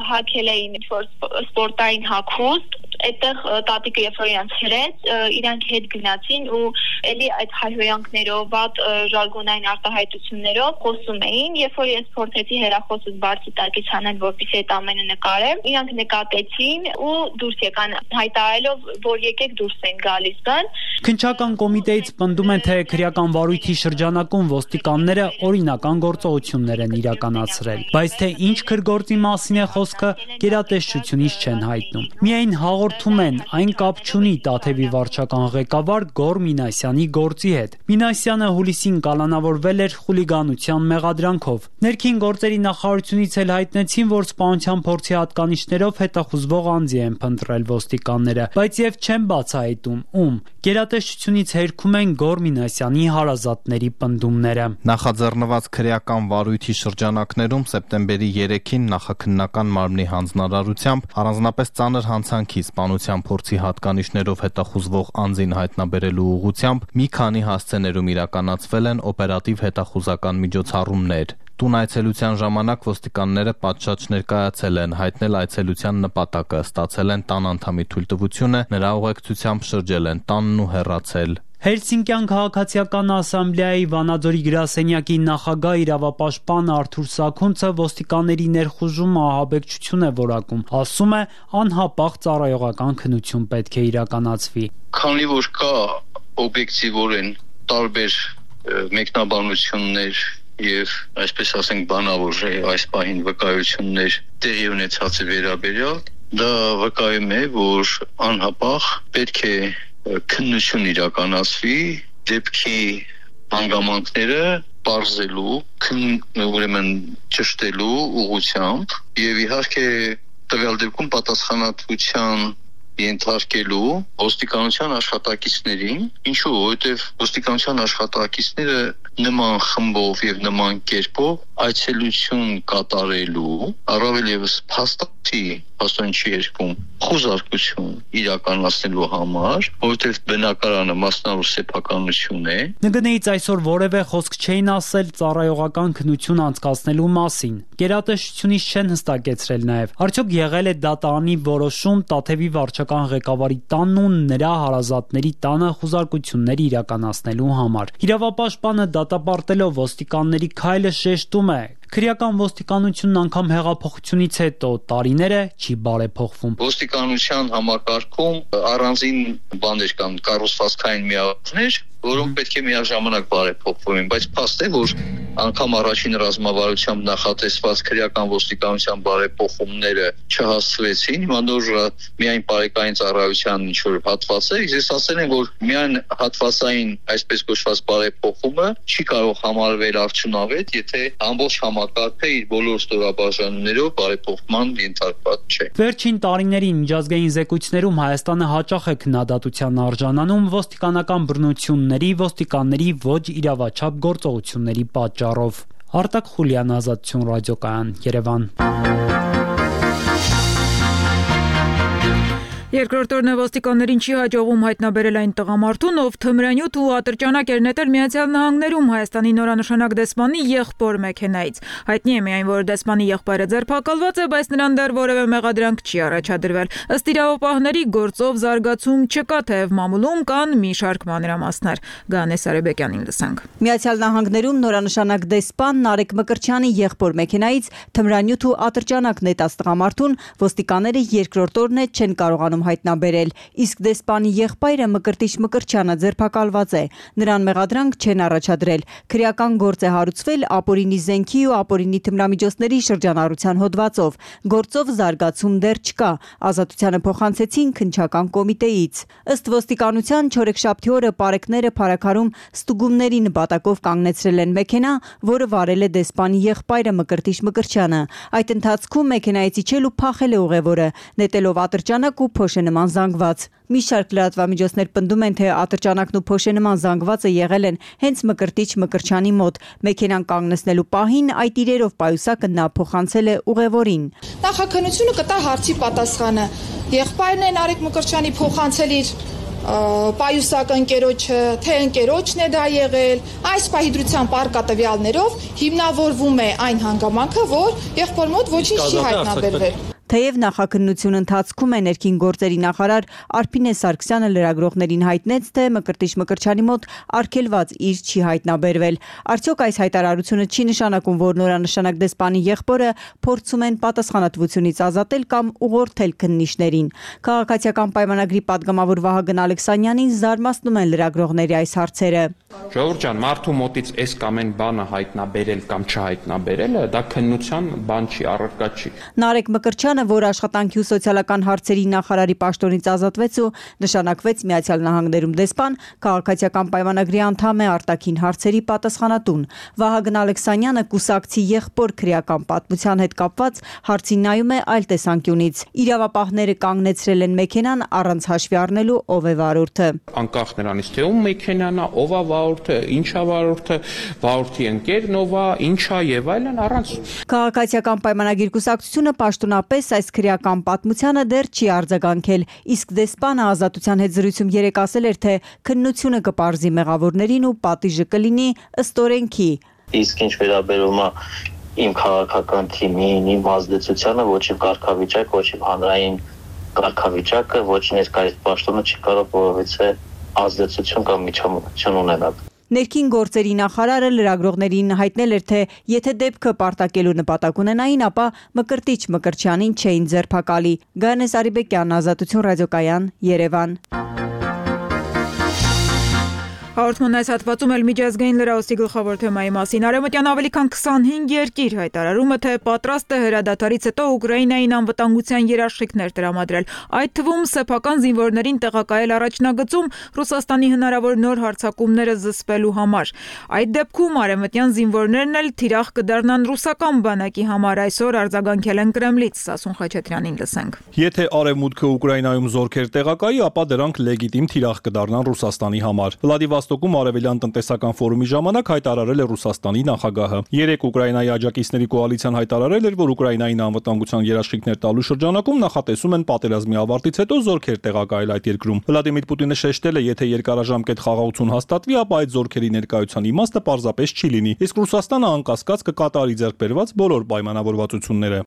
հագել էին ինչ-որ սպորտային հագուստ, այդտեղ տատիկը երբ որ իրանց հրեց, իրանք հետ գնացին ու էլի այդ հայհոյանքներով, վատ ժարգոնային արտահայտություններով խոսում էին, երբ որ ես փորձեցի հեռախոսս բարձի տակից հանել, որպեսզի այդ ամենը նկարեմ, իրանք նկատեցին ու դուրս եկան, հայտարարելով, որ եկեք դուրս են գալիս բան։ Քննչական կոմիտեից պնդում են, թե քրեական վարույթի շրջանակում ոստիկանները օրինական գործողություններ են իրականացրել, բայց թե ինչ քրգործի մասին է խոսքը, գերատեսչությունից չեն հայտնում։ Միայն հաղորդում են, այն կապ չունի Տաթևի վարչական ղեկավար Գոր Մինասյանի գործի հետ։ Մինասյանը հուլիսին կալանավորվել էր խուլիգանության մեղադրանքով։ Ներքին գործերի նախարարությունից էլ հայտնեցին, որ սպանության փորձի հատկանիշներով հետախուզվող անձի են փնտրել ոստիկանները, բայց եւ չեն բացահայտում ում։ Գերատեսչությունից հերքում են Գոր Մինասյանի հարազատների պնդումները։ Նախաձեռնված քրեական վարույթի շրջանակներում սեպտեմբերի 3-ին նախաքննական մարմնի հանձնարարությամբ առանձնապես ծանր հանցանքի սպանության փորձի հատկանիշներով հետախուզվող անձին հայտնաբերելու ուղղությամբ մի քանի հասցեներում իրականացվել են օպերատիվ հետախուզական միջոցառումներ։ Տուն այցելության ժամանակ ոստիկանները պատշաճ ներկայացել են, հայտնել այցելության նպատակը, ստացել են տան անդամի թույլտվությունը, նրա ուղեկցությամբ շրջել են տանն ու հեռացել։ Հելսինկյան քաղաքացիական ասամբլեայի Վանաձորի գրասենյակի նախագահ իրավապաշտպան Արթուր Սաքունցը ոստիկանների ներխուժումը ահաբեկչություն է որակում, ասում է, անհապաղ ծառայողական քննություն պետք է իրականացվի։ Քանի որ կա օբյեկտիվորեն տարբեր մեկնաբանություններ եւ այսպես ասենք բանավոր այս պահին վկայություններ տեղի ունեցածի վերաբերյալ, դա վկայում է, որ անհապաղ պետք է քննություն իրականացվի դեպքի հանգամանքները բարձելու, ուրեմն ճշտելու ուղղությամբ եւ իհարկե տվյալ դեպքում պատասխանատվության ենթարկելու ոստիկանության աշխատակիցներին, ինչու, որովհետև ոստիկանության աշխատակիցները նման խմբով եւ նման կերպով այցելություն կատարելու, առավել եւս փաստորեն չի երկում խոզարկություն իրականացնելու համար, որովհետև բնակարանը մասնավոր սեփականություն է։ ՆԳՆ-ից այսօր որևէ խոսք չէին ասել ծառայողական քննություն անցկացնելու մասին։ Գերատեսչությունից չեն հստակեցրել նաեւ, արդյոք եղել է դատարանի որոշում Տաթևի վարչական ղեկավարի տանն ու նրա հարազատների տանը խոզարկություններ իրականացնելու համար։ Իրավապաշտպանը դատապարտելով ոստիկանների քայլը շեշտում է, քրեական ոստիկանությունն անգամ հեղափոխությունից հետո տարիները չի բարեփոխվում։ Ոստիկանության համակարգում առանձին բաներ կան, կառուցվածքային միավորներ, որոնք պետք է միաժամանակ բարեփոխվում են, բայց փաստ է, որ անգամ առաջին ռազմավարությամբ նախատեսված քրեական ոստիկանության բարեփոխումները չհասցվեցին, հիմա նոր միայն բարեկային ծառայության ինչ-որ հատված է, ես ասել եմ, որ միայն հատվածային այսպես կոչված բարեփոխումը չի կարող համարվել արդյունավետ, եթե ամբողջ համակարգը իր բոլոր ստորաբաժանումներով բարեփոխման ենթարկված չէ։ Վերջին տարիներին միջազգային զեկույցներում Հայաստանը հաճախ է քննադատության արժանանում ոստիկանական բռնությունների, ոստիկանների ոչ իրավաչափ գործողությունների պատճառով։ Արտակ Խուլյան, Ազատություն ռադիոկայան, Երևան։ Երկրորդ օրն ոստիկաններին չի հաջողում հայտնաբերել այն տղամարդուն, ով թմրանյութ ու ատրճանակ էր նետել Միացյալ Նահանգներում Հայաստանի նորանշանակ դեսպանի եղբոր մեքենայից։ Հայտնի է միայն, որ դեսպանի եղբայրը ձերբակալված է, բայց նրան դեռ որևէ մեղադրանք չի առաջադրվել։ Ըստ իրավապահների գործով զարգացում չկա, թեև մամուլում կան մի շարք մանրամասներ։ Գանե Սարեբեկյանին լսենք։ Միացյալ Նահանգներում նորանշանակ դեսպան Նարեկ Մկրտչյանի եղբոր մեքենայից թմրանյութ ու ատրճանակ նետած տղամարդուն ոստիկանները երկրորդ օրն է չեն կարողանում հայտնաբերել, իսկ դեսպանի եղբայրը Մկրտիչ Մկրտչյանը ձերբակալված է։ Նրան մեղադրանք չեն առաջադրել։ Քրեական գործ է հարուցվել ապօրինի զենքի ու ապօրինի թմրամիջոցների շրջանառության հոդվածով։ Գործով զարգացում դեռ չկա։ Ազատությանը փոխանցեցին քննչական կոմիտեից։ Ըստ ոստիկանության չորեքշաբթի օրը պարեկները Փարաքարում ստուգումների նպատակով կանգնեցրել են մեքենա, որը վարել է դեսպանի եղբայրը Մկրտիչ Մկրտչյանը։ Այդ ընթացքում մեքենայից իջել ու փախել է ուղևորը, նետելով ատրճանակ ու փոշենման զանգված։ Մի շարք լրատվամիջոցներ պնդում են, թե ատրճանակն ու փոշենման զանգվածը եղել են հենց Մկրտիչ Մկրտչյանի մոտ։ Մեքենան կանգնեցնելու պահին այդ իրերով պայուսակը նա փոխանցել է ուղևորին։ Նախաքննությունը կտա հարցի պատասխանը։ Եղբայրն է Նարեկ Մկրտչյանի փոխանցել իր պայուսակը ընկերոջը, թե ընկերոջն է դա եղել, այս պահի դրությամբ արկա տվյալներով հիմնավորվում է այն հանգամանքը, որ եղբոր մոտ ոչինչ չի հայտնաբերվել։ Թեև նախաքննության ընթացքում է ներքին գործերի նախարար Արփինե Սարգսյանը լրագրողներին հայտնեց, թե Մկրտիչ Մկրտչյանի մոտ արգելված իր չի հայտնաբերվել։ Արդյոք այս հայտարարությունը չի նշանակում, որ նորանշանակ դեսպանի եղբորը փորձում են պատասխանատվությունից ազատել կամ ուղղորդել քննիչներին։ Քաղաքացիական պայմանագրի падգամավոր Վահագն Ալեքսանյանին զարմացնում են լրագրողների այս հարցերը։ Ժողովուրդ ջան, մարդու մոտից այս կամ այն բանը հայտնաբերել կամ չհայտնաբերելը դա քննության բան չի, առարկա չի։ Նարեկ Մկրտչյանը, որ աշխատանքի ու սոցիալական հարցերի նախարարի պաշտոնից ազատվեց ու նշանակվեց Միացյալ Նահանգներում դեսպան, քաղաքացիական պայմանագրի անդամ է արտաքին հարցերի պատասխանատուն։ Վահագն Ալեքսանյանը կուսակցի եղբոր քրեական պատմության հետ կապված հարցին նայում է այլ տեսանկյունից։ Իրավապահները կանգնեցրել են մեքենան առանց հաշվի առնելու ով է վարորդը։ Անկախ նրանից, թե ում մեքենան է, ով է վարորդը, ինչ է վարորդը, վարորդի ընկերն ով է, ինչ է եւ այլն առանց։ Քաղաքացիական պայմանագիր կուսակցությունը պաշտոնապես այս քրեական պատմությանը դեռ չի արձագանքել, իսկ դեսպանը Ազատության հետ զրույցում երեկ ասել էր, թե քննությունը կպարզի մեղավորներին ու պատիժը կլինի ըստ օրենքի։ Իսկ ինչ վերաբերում է իմ քաղաքական թիմին, իմ ազդեցությանը, ոչ իմ կարգավիճակ, ոչ իմ հանրային կարգավիճակը, ոչ ներկայիս պաշտոնը չի կարող որևէ ազդեցություն կամ միջամտություն ունենալ։ Ներքին գործերի նախարարը լրագրողներին հայտնել էր, թե եթե դեպքը պարտակելու նպատակ ունենային, ապա Մկրտիչ Մկրտչյանին չէին ձերբակալի։ Գանե Սարեբեկյան, Ազատություն ռադիոկայան, Երևան։ Հաղորդման այս հատվածում էլ միջազգային լրահոսի գլխավոր թեմայի մասին։ Արևմտյան ավելի քան 25 երկիր հայտարարումը, թե պատրաստ է հրադադարից հետո Ուկրաինային անվտանգության երաշխիքներ տրամադրել, այդ թվում սեփական զինվորներին տեղակայել առաջնագծում Ռուսաստանի հնարավոր նոր հարձակումները զսպելու համար։ Այդ դեպքում արևմտյան զինվորներն էլ թիրախ կդառնան ռուսական բանակի համար, այսօր արձագանքել են Կրեմլից։ Սասուն Խաչատրյանին լսենք։ Եթե Արևմուտքը Ուկրաինայում զորքեր տեղակայի, ապա դրանք լեգիտիմ թիրախ կդառնան Ռուսաստանի համար։ Վլադիվոստոկում Արևելյան տնտեսական ֆորումի ժամանակ հայտարարել է Ռուսաստանի նախագահը։ Երեկ Ուկրաինայի աջակիցների կոալիցիան հայտարարել էր, որ Ուկրաինային անվտանգության երաշխիքներ տալու շրջանակում նախատեսում են պատերազմի ավարտից հետո զորքեր տեղակայել այդ երկրում։ Վլադիմիր Պուտինը շեշտել է, եթե երկարաժամկետ խաղաղություն հաստատվի, ապա այդ զորքերի ներկայության իմաստը պարզապես չի լինի, իսկ Ռուսաստանը անկասկած կկատարի ձեռքբերված բոլոր պայմանավորվածությունները։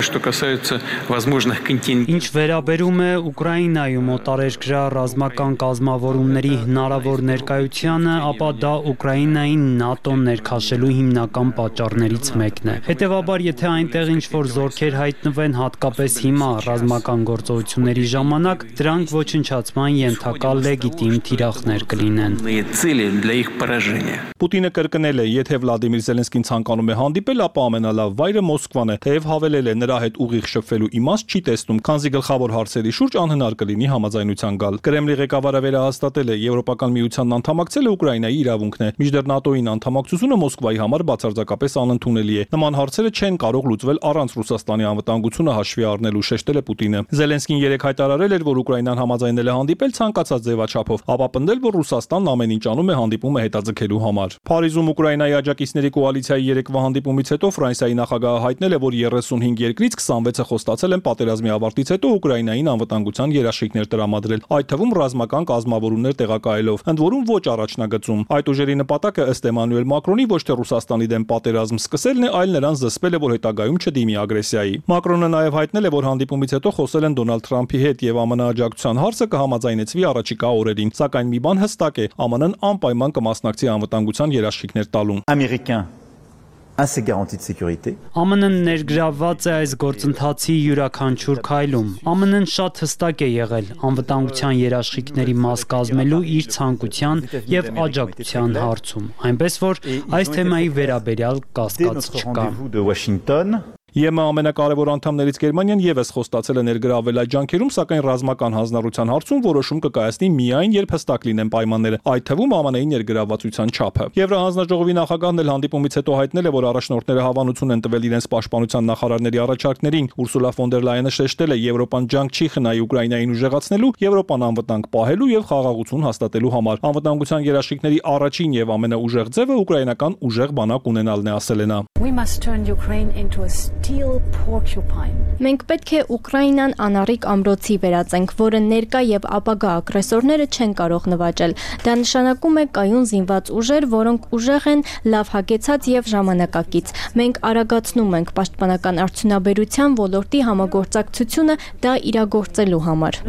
Ինչ վերաբերում է Ուկրաինայում օտարերկրյա ռազմական կազմավորումների հնարավոր ներկայությանը, ապա դա Ուկրաինային ՆԱՏՕ-ն ներքաշելու հիմնական պատճառներից մեկն է։ Հետևաբար, եթե այնտեղ ինչ-որ զորքեր հայտնվեն, հատկապես հիմա ռազմական գործողությունների ժամանակ, դրանք ոչնչացման ենթակա լեգիտիմ թիրախներ կլինեն։ Պուտինը կրկնել է, եթե Վլադիմիր Զելենսկին ցանկանում է հանդիպել, ապա ամենալավ վայրը Մոսկվան է, թեև հավելել է, նրա հետ ուղիղ շփվելու իմաստ չի տեսնում, քանզի գլխավոր հարցերի շուրջ անհնար կլինի համաձայնության գալ։ Կրեմլի ղեկավարը վերահաստատել է, Եվրոպական միությանն անդամակցել է Ուկրաինայի իրավունքն է։ Մինչդեռ ՆԱՏՕ-ին անդամակցությունը Մոսկվայի համար բացարձակապես անընդունելի է։ Նման հարցերը չեն կարող լուծվել առանց Ռուսաստանի անվտանգությունը հաշվի առնելու, շեշտել է Պուտինը։ Զելենսկին երեկ հայտարարել էր, որ Ուկրաինան համաձայնել է հանդիպել ցանկացած ձևաչափով, ապա պնդել, որ Ռուսաստանն ամեն ինչ անում է հանդիպումը հետաձգելու համար։ Փարիզում Ուկրաինայի աջակիցների կոալիցիայի երեկվա հանդիպումից հետո Ֆրանսիայի նախագահը հայտնել է, որ 35 երկրից 26-ը խոստացել են պատերազմի ավարտից հետո Ուկրաինային անվտանգության երաշխիքներ տրամադրել, այդ թվում ռազմական կազմավորումներ տեղակայելով, ընդ որում ոչ առաջնագծում։ Այդ ուժերի նպատակը ըստ Էմանուել Մակրոնի ոչ թե Ռուսաստանի դեմ պատերազմ սկսելն է, այլ նրան զսպել է, որ հետագայում չդիմի ագրեսիայի։ Մակրոնը նաև հայտնել է, որ հանդիպումից հետո խոսել են Դոնալդ Թրամփի հետ եւ ԱՄՆ աջակցության հարցը կհամաձայնեցվի առաջիկա օրերին, սակայն մի բան հստակ է, ԱՄՆ-ն անպայման կմասնակցի անվտանգության երաշխիքներ տալուն։ ԱՄՆ-ն ներգրավված է այս գործընթացի յուրաքանչյուր քայլում։ ԱՄՆ-ն շատ հստակ է եղել անվտանգության երաշխիքների մաս կազմելու իր ցանկության եւ աջակցության հարցում, այնպես որ այս թեմայի վերաբերյալ կասկած չկա։ ԵՄ ամենակարևոր անդամներից Գերմանիան եւս խոստացել է ներգրավել այդ ջանքերում, սակայն ռազմական հանձնառության հարցում որոշում կկայացնի միայն երբ հստակ լինեն պայմանները, այդ թվում ԱՄՆ-ի ներգրավվածության չափը։ Եվրահանձնաժողովի նախագահն էլ հանդիպումից հետո հայտնել է, որ առաջնորդները հավանություն են տվել իրենց պաշտպանության նախարարների առաջարկներին։ Ուրսուլա ֆոն դեր Լայենը շեշտել է, Եվրոպան ջանք չի խնայի Ուկրաինային ուժեղացնելու, Եվրոպան անվտանգ պահելու եւ խաղաղություն հաստատելու համար։ Անվտանգության երաշխիքների առաջին եւ ամենաուժեղ ձևը ուկրաինական ուժեղ բանակ ունենալն է, ասել է նա։ Մենք պետք է Ուկրաինան անառիկ ամրոցի վերածենք, որը ներկա եւ ապագա ագրեսորները չեն կարող նվաճել։ Դա նշանակում է կայուն զինված ուժեր, որոնք ուժեղ են, լավ հագեցած եւ ժամանակակից։ Մենք արագացնում ենք պաշտպանական արդյունաբերության ոլորտի համագործակցությունը դա իրագործելու համար։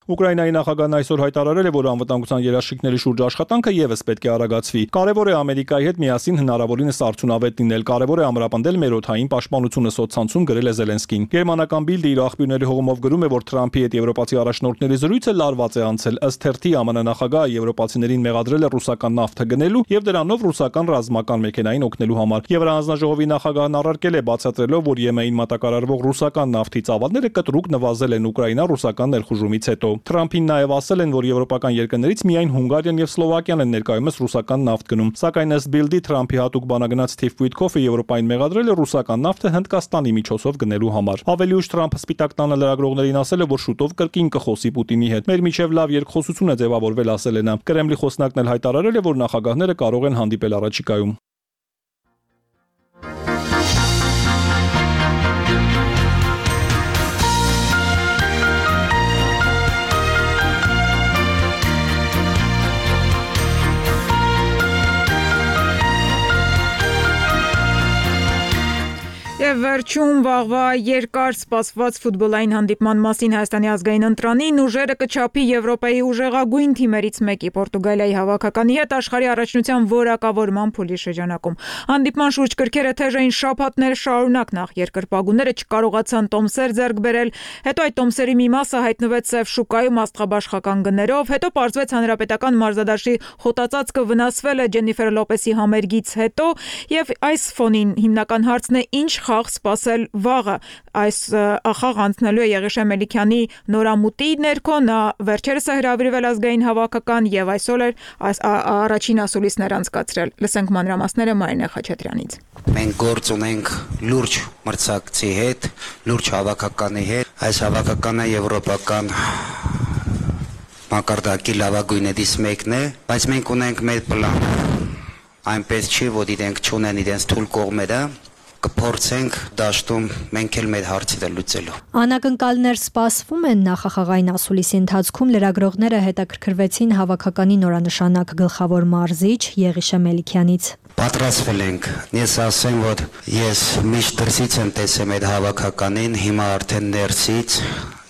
Ուկրաինայի նախագահն այսօր հայտարարել է, որ անվտանգության երաշխիքների շուրջ աշխատանքը եւս պետք է արագացվի։ Կարևոր է Ամերիկայի հետ միասին հնարավորինս արդյունավետ լինել, կարևոր է ամրապնդել մեր օդային պաշտպանությունը, սոցցանցում գրել է Զելենսկին։ Գերմանական Բիլդը իր աղբյուրների հողմով գրում է, որ Թրամփի հետ եվրոպացի առաջնորդների զրույցը լարված է անցել։ Ըստ թերթի ԱՄՆ նախագահը եվրոպացիներին մեղադրել է ռուսական նավթը գնելու եւ դրանով ռուսական ռազմական մեքենային օգնելու համար։ Եվրահանձնաժողովի նախագահն առարկել է, բացատրելով, որ ԵՄ-ին մատակարարվող ռուսական նավթի ծավալները կտրուկ նվազել են Ուկրաինա-ռուսական ներխուժումից հետո։ Թրամփին նաև ասել են, որ եվրոպական երկրներից միայն Հունգարիան եւ Սլովակիան են ներկայումս ռուսական նավթ գնում։ Սակայն ըստ Բիլդի Թրամփի հատուկ բանագնաց Սթիվ Ուիտկոֆը Եվրոպային մեղադրել է ռուսական նավթը Հնդկաստանի միջոցով գնելու համար։ Ավելի ուշ Թրամփը Սպիտակ տանը լրագրողներին ասել է, որ շուտով կրկին կխոսի Պուտինի հետ։ Մեր միջև լավ երկխոսություն է ձևավորվել, ասել է նա։ Կրեմլի խոսնակն էլ հայտարարել է, որ նախագահները կարող են հանդիպել առաջիկայում։ Եվ վերջում վաղվա երկար սպասված ֆուտբոլային հանդիպման մասին Հայաստանի ազգային ընտրանին ուժերը կչափի Եվրոպայի ուժեղագույն թիմերից մեկի Պորտուգալիայի հավաքականի հետ աշխարհի առաջնության որակավորման փուլի շրջանակում։ Հանդիպման շուրջ կրքերը թեժ էին շաբաթներ շարունակ, նախ երկրպագուները չկարողացան տոմսեր ձեռք բերել, հետո այդ տոմսերի մի մասը հայտնվեց սև շուկայում աստղաբաշխական գներով, հետո պարզվեց հանրապետական մարզադաշտի խոտածածկը վնասվել է Ջենիֆեր Լոպեսի համերգից հետո, եւ այս ֆոնին հիմնական հարցն է ինչ խաղ սպասել վաղը։ Այս խաղ անցնելու է Եղիշե Մելիքյանի նորամուտի ներքո, նա վերջերս է հրավիրվել ազգային հավաքական եւ այսօր առաջին ասուլիսներ անցկացրել։ Լսենք մանրամասները Մարինե Խաչատրյանից։ Մենք գործ ունենք լուրջ մրցակցի հետ, լուրջ հավաքականի հետ։ Այս հավաքականը եվրոպական մակարդակի լավագույններից մեկն է, բայց մենք ունենք մեր պլան։ Այնպես չի, որ իրենք չունեն իրենց թույլ կողմերը, կփորձենք դաշտում մենք էլ մեր հարցերը լուծելու։ Անակնկալներ սպասվում են նախախաղային ասուլիսի ընթացքում լրագրողները հետաքրքրվեցին հավաքականի նորանշանակ գլխավոր մարզիչ Եղիշե Մելիքյանից։ Պատրաստվել ենք։ Ես ասեմ, որ ես միշտ դրսից եմ տեսել այդ հավաքականին, հիմա արդեն ներսից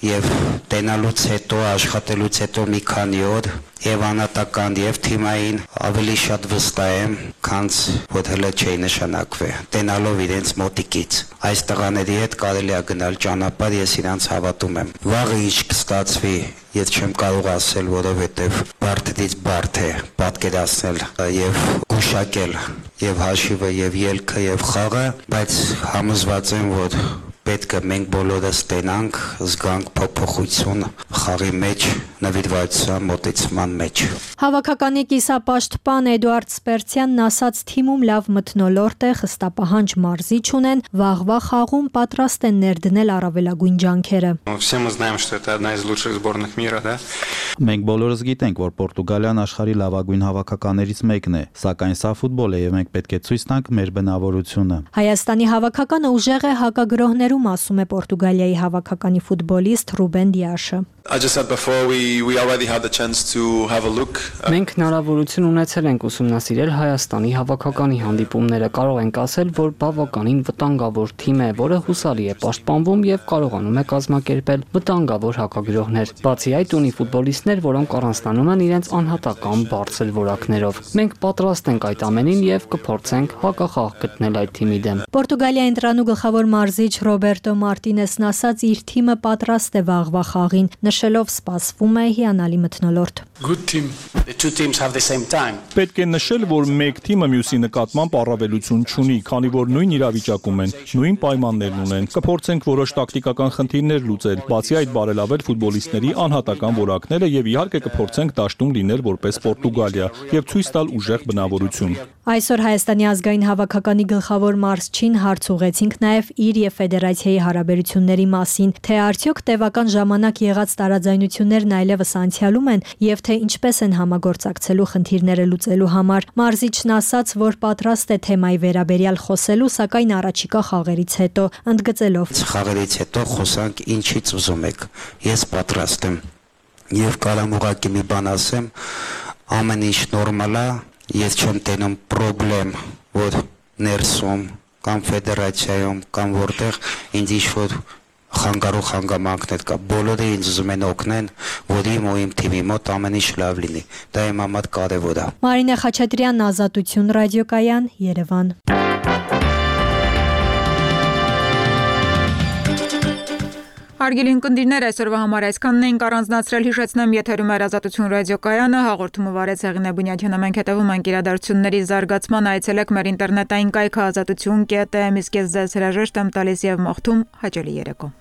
եւ տենալուց հետո, աշխատելուց հետո մի քանի օր եւ անատական եւ թիմային ավելի շատ վստահ եմ, քան որ հələ չի նշանակվել։ Տենալով իրենց մոտիկից այս տղաների հետ կարելի է գնալ ճանապարհ, ես իրանց հավատում եմ։ Վաղը ինչ կստացվի, ես չեմ կարող ասել, որովհետեւ բարդից բարդ է պատկերացնել եւ գուշակել եւ հաշիվը եւ ելքը եւ խաղը, բայց համոզված եմ, որ պետք է մենք բոլորս տենանք, զգանք փոփոխություն խաղի մեջ, նվիրվածության մոտեցման մեջ։ Հավաքականի կիսապաշտպան Էդուարդ Սպերցյանն ասաց, թիմում լավ մթնոլորտ է, խստապահանջ մարզիչ ունեն, վաղվա խաղում պատրաստ են ներդնել առավելագույն ջանքերը։ Все мы знаем, что это одна из лучших сборных мира, да? Մենք բոլորս գիտենք, որ Պորտուգալիան աշխարհի լավագույն հավաքականերից մեկն է, սակայն սա ֆուտբոլ է եւ մենք պետք է ցույց տանք մեր բնավորությունը։ Հայաստանի հավաքականը ուժեղ է հակագրոհներում, ասում է Պորտուգալիայի հավաքականի ֆուտբոլիստ Ռուբեն Դիաշը։ I just said before we already had the chance to have a look. Մենք հնարավորություն ունեցել ենք ուսումնասիրել Հայաստանի հավաքականի հանդիպումները, կարող ենք ասել, որ բավականին վտանգավոր թիմ է, որը հուսալի է պաշտպանվում եւ կարողանում է կազմակերպել վտանգավոր հակագրոհներ։ Բացի այդ ունի ֆուտբոլիստներ, որոնք առանձնանում են իրենց անհատական բարձր որակներով։ Մենք պատրաստ ենք այդ ամենին եւ կփորձենք հակախաղ գտնել այդ թիմի դեմ։ Պորտուգալիայի ընտրանու գլխավոր մարզիչ Ռոբերտո Մարտինեսն ասաց, իր թիմը պատրաստ է վաղվա խաղին, նշելով սպասվում է հիանալի մթնոլորտ։ Good team. The two teams have the same time. Պետք է նշել, որ մեկ թիմը մյուսի նկատմամբ առավելություն չունի, քանի որ նույն իրավիճակում են, նույն պայմաններն ունեն։ Կփորձենք որոշ տակտիկական խնդիրներ լուծել, բացի այդ բարելավել ֆուտբոլիստների անհատական որակները եւ իհարկե կփորձենք դաշտում լինել որպես Պորտուգալիա եւ ցույց տալ ուժեղ բնավորություն։ Այսօր Հայաստանի ազգային հավաքականի գլխավոր մարզչին հարց ուղեցինք նաև իր եւ ֆեդերացիայի հարաբերությունների մասին, թե արդյոք տևական ժամանակ եղած տարաձայնություններն այլևս անցյալում են եւ թե ինչպես են համագործակցելու խնդիրները լուծելու համար։ Մարզիչն ասաց, որ պատրաստ է թեմայի վերաբերյալ խոսելու, սակայն առաջիկա խաղերից հետո, ընդգծելով. Խաղերից հետո խոսանք ինչից ուզում եք։ Ես պատրաստ եմ։ Եվ կարամ ուղղակի մի բան ասեմ, ամեն ինչ նորմալ է, ես չեմ տենում պրոբլեմ, որ ներսում կամ ֆեդերացիայում կամ որտեղ ինձ ինչ-որ խանգարող հանգամանքներ կա, բոլորը ինձ ուզում են օգնեն, որ իմ ու իմ թիմի մոտ ամեն ինչ լավ լինի, դա իմ համար կարևոր է։ Մարինե Խաչատրյան, Ազատություն ռադիոկայան, Երևան։ Հարգելի ունկնդիրներ, այսօրվա համար այսքանն էինք առանձնացրել, հիշեցնեմ, եթերում էր Ազատություն ռադիոկայանը, հաղորդումը վարեց Հեղինե Բունյաթյանը, մենք հետևում ենք իրադարձությունների զարգացման, այցելեք մեր ինտերնետային կայքը azatutun.am, իսկ ես ձեզ հրաժեշտ եմ տալիս եւ մաղթում հաճելի երեկո։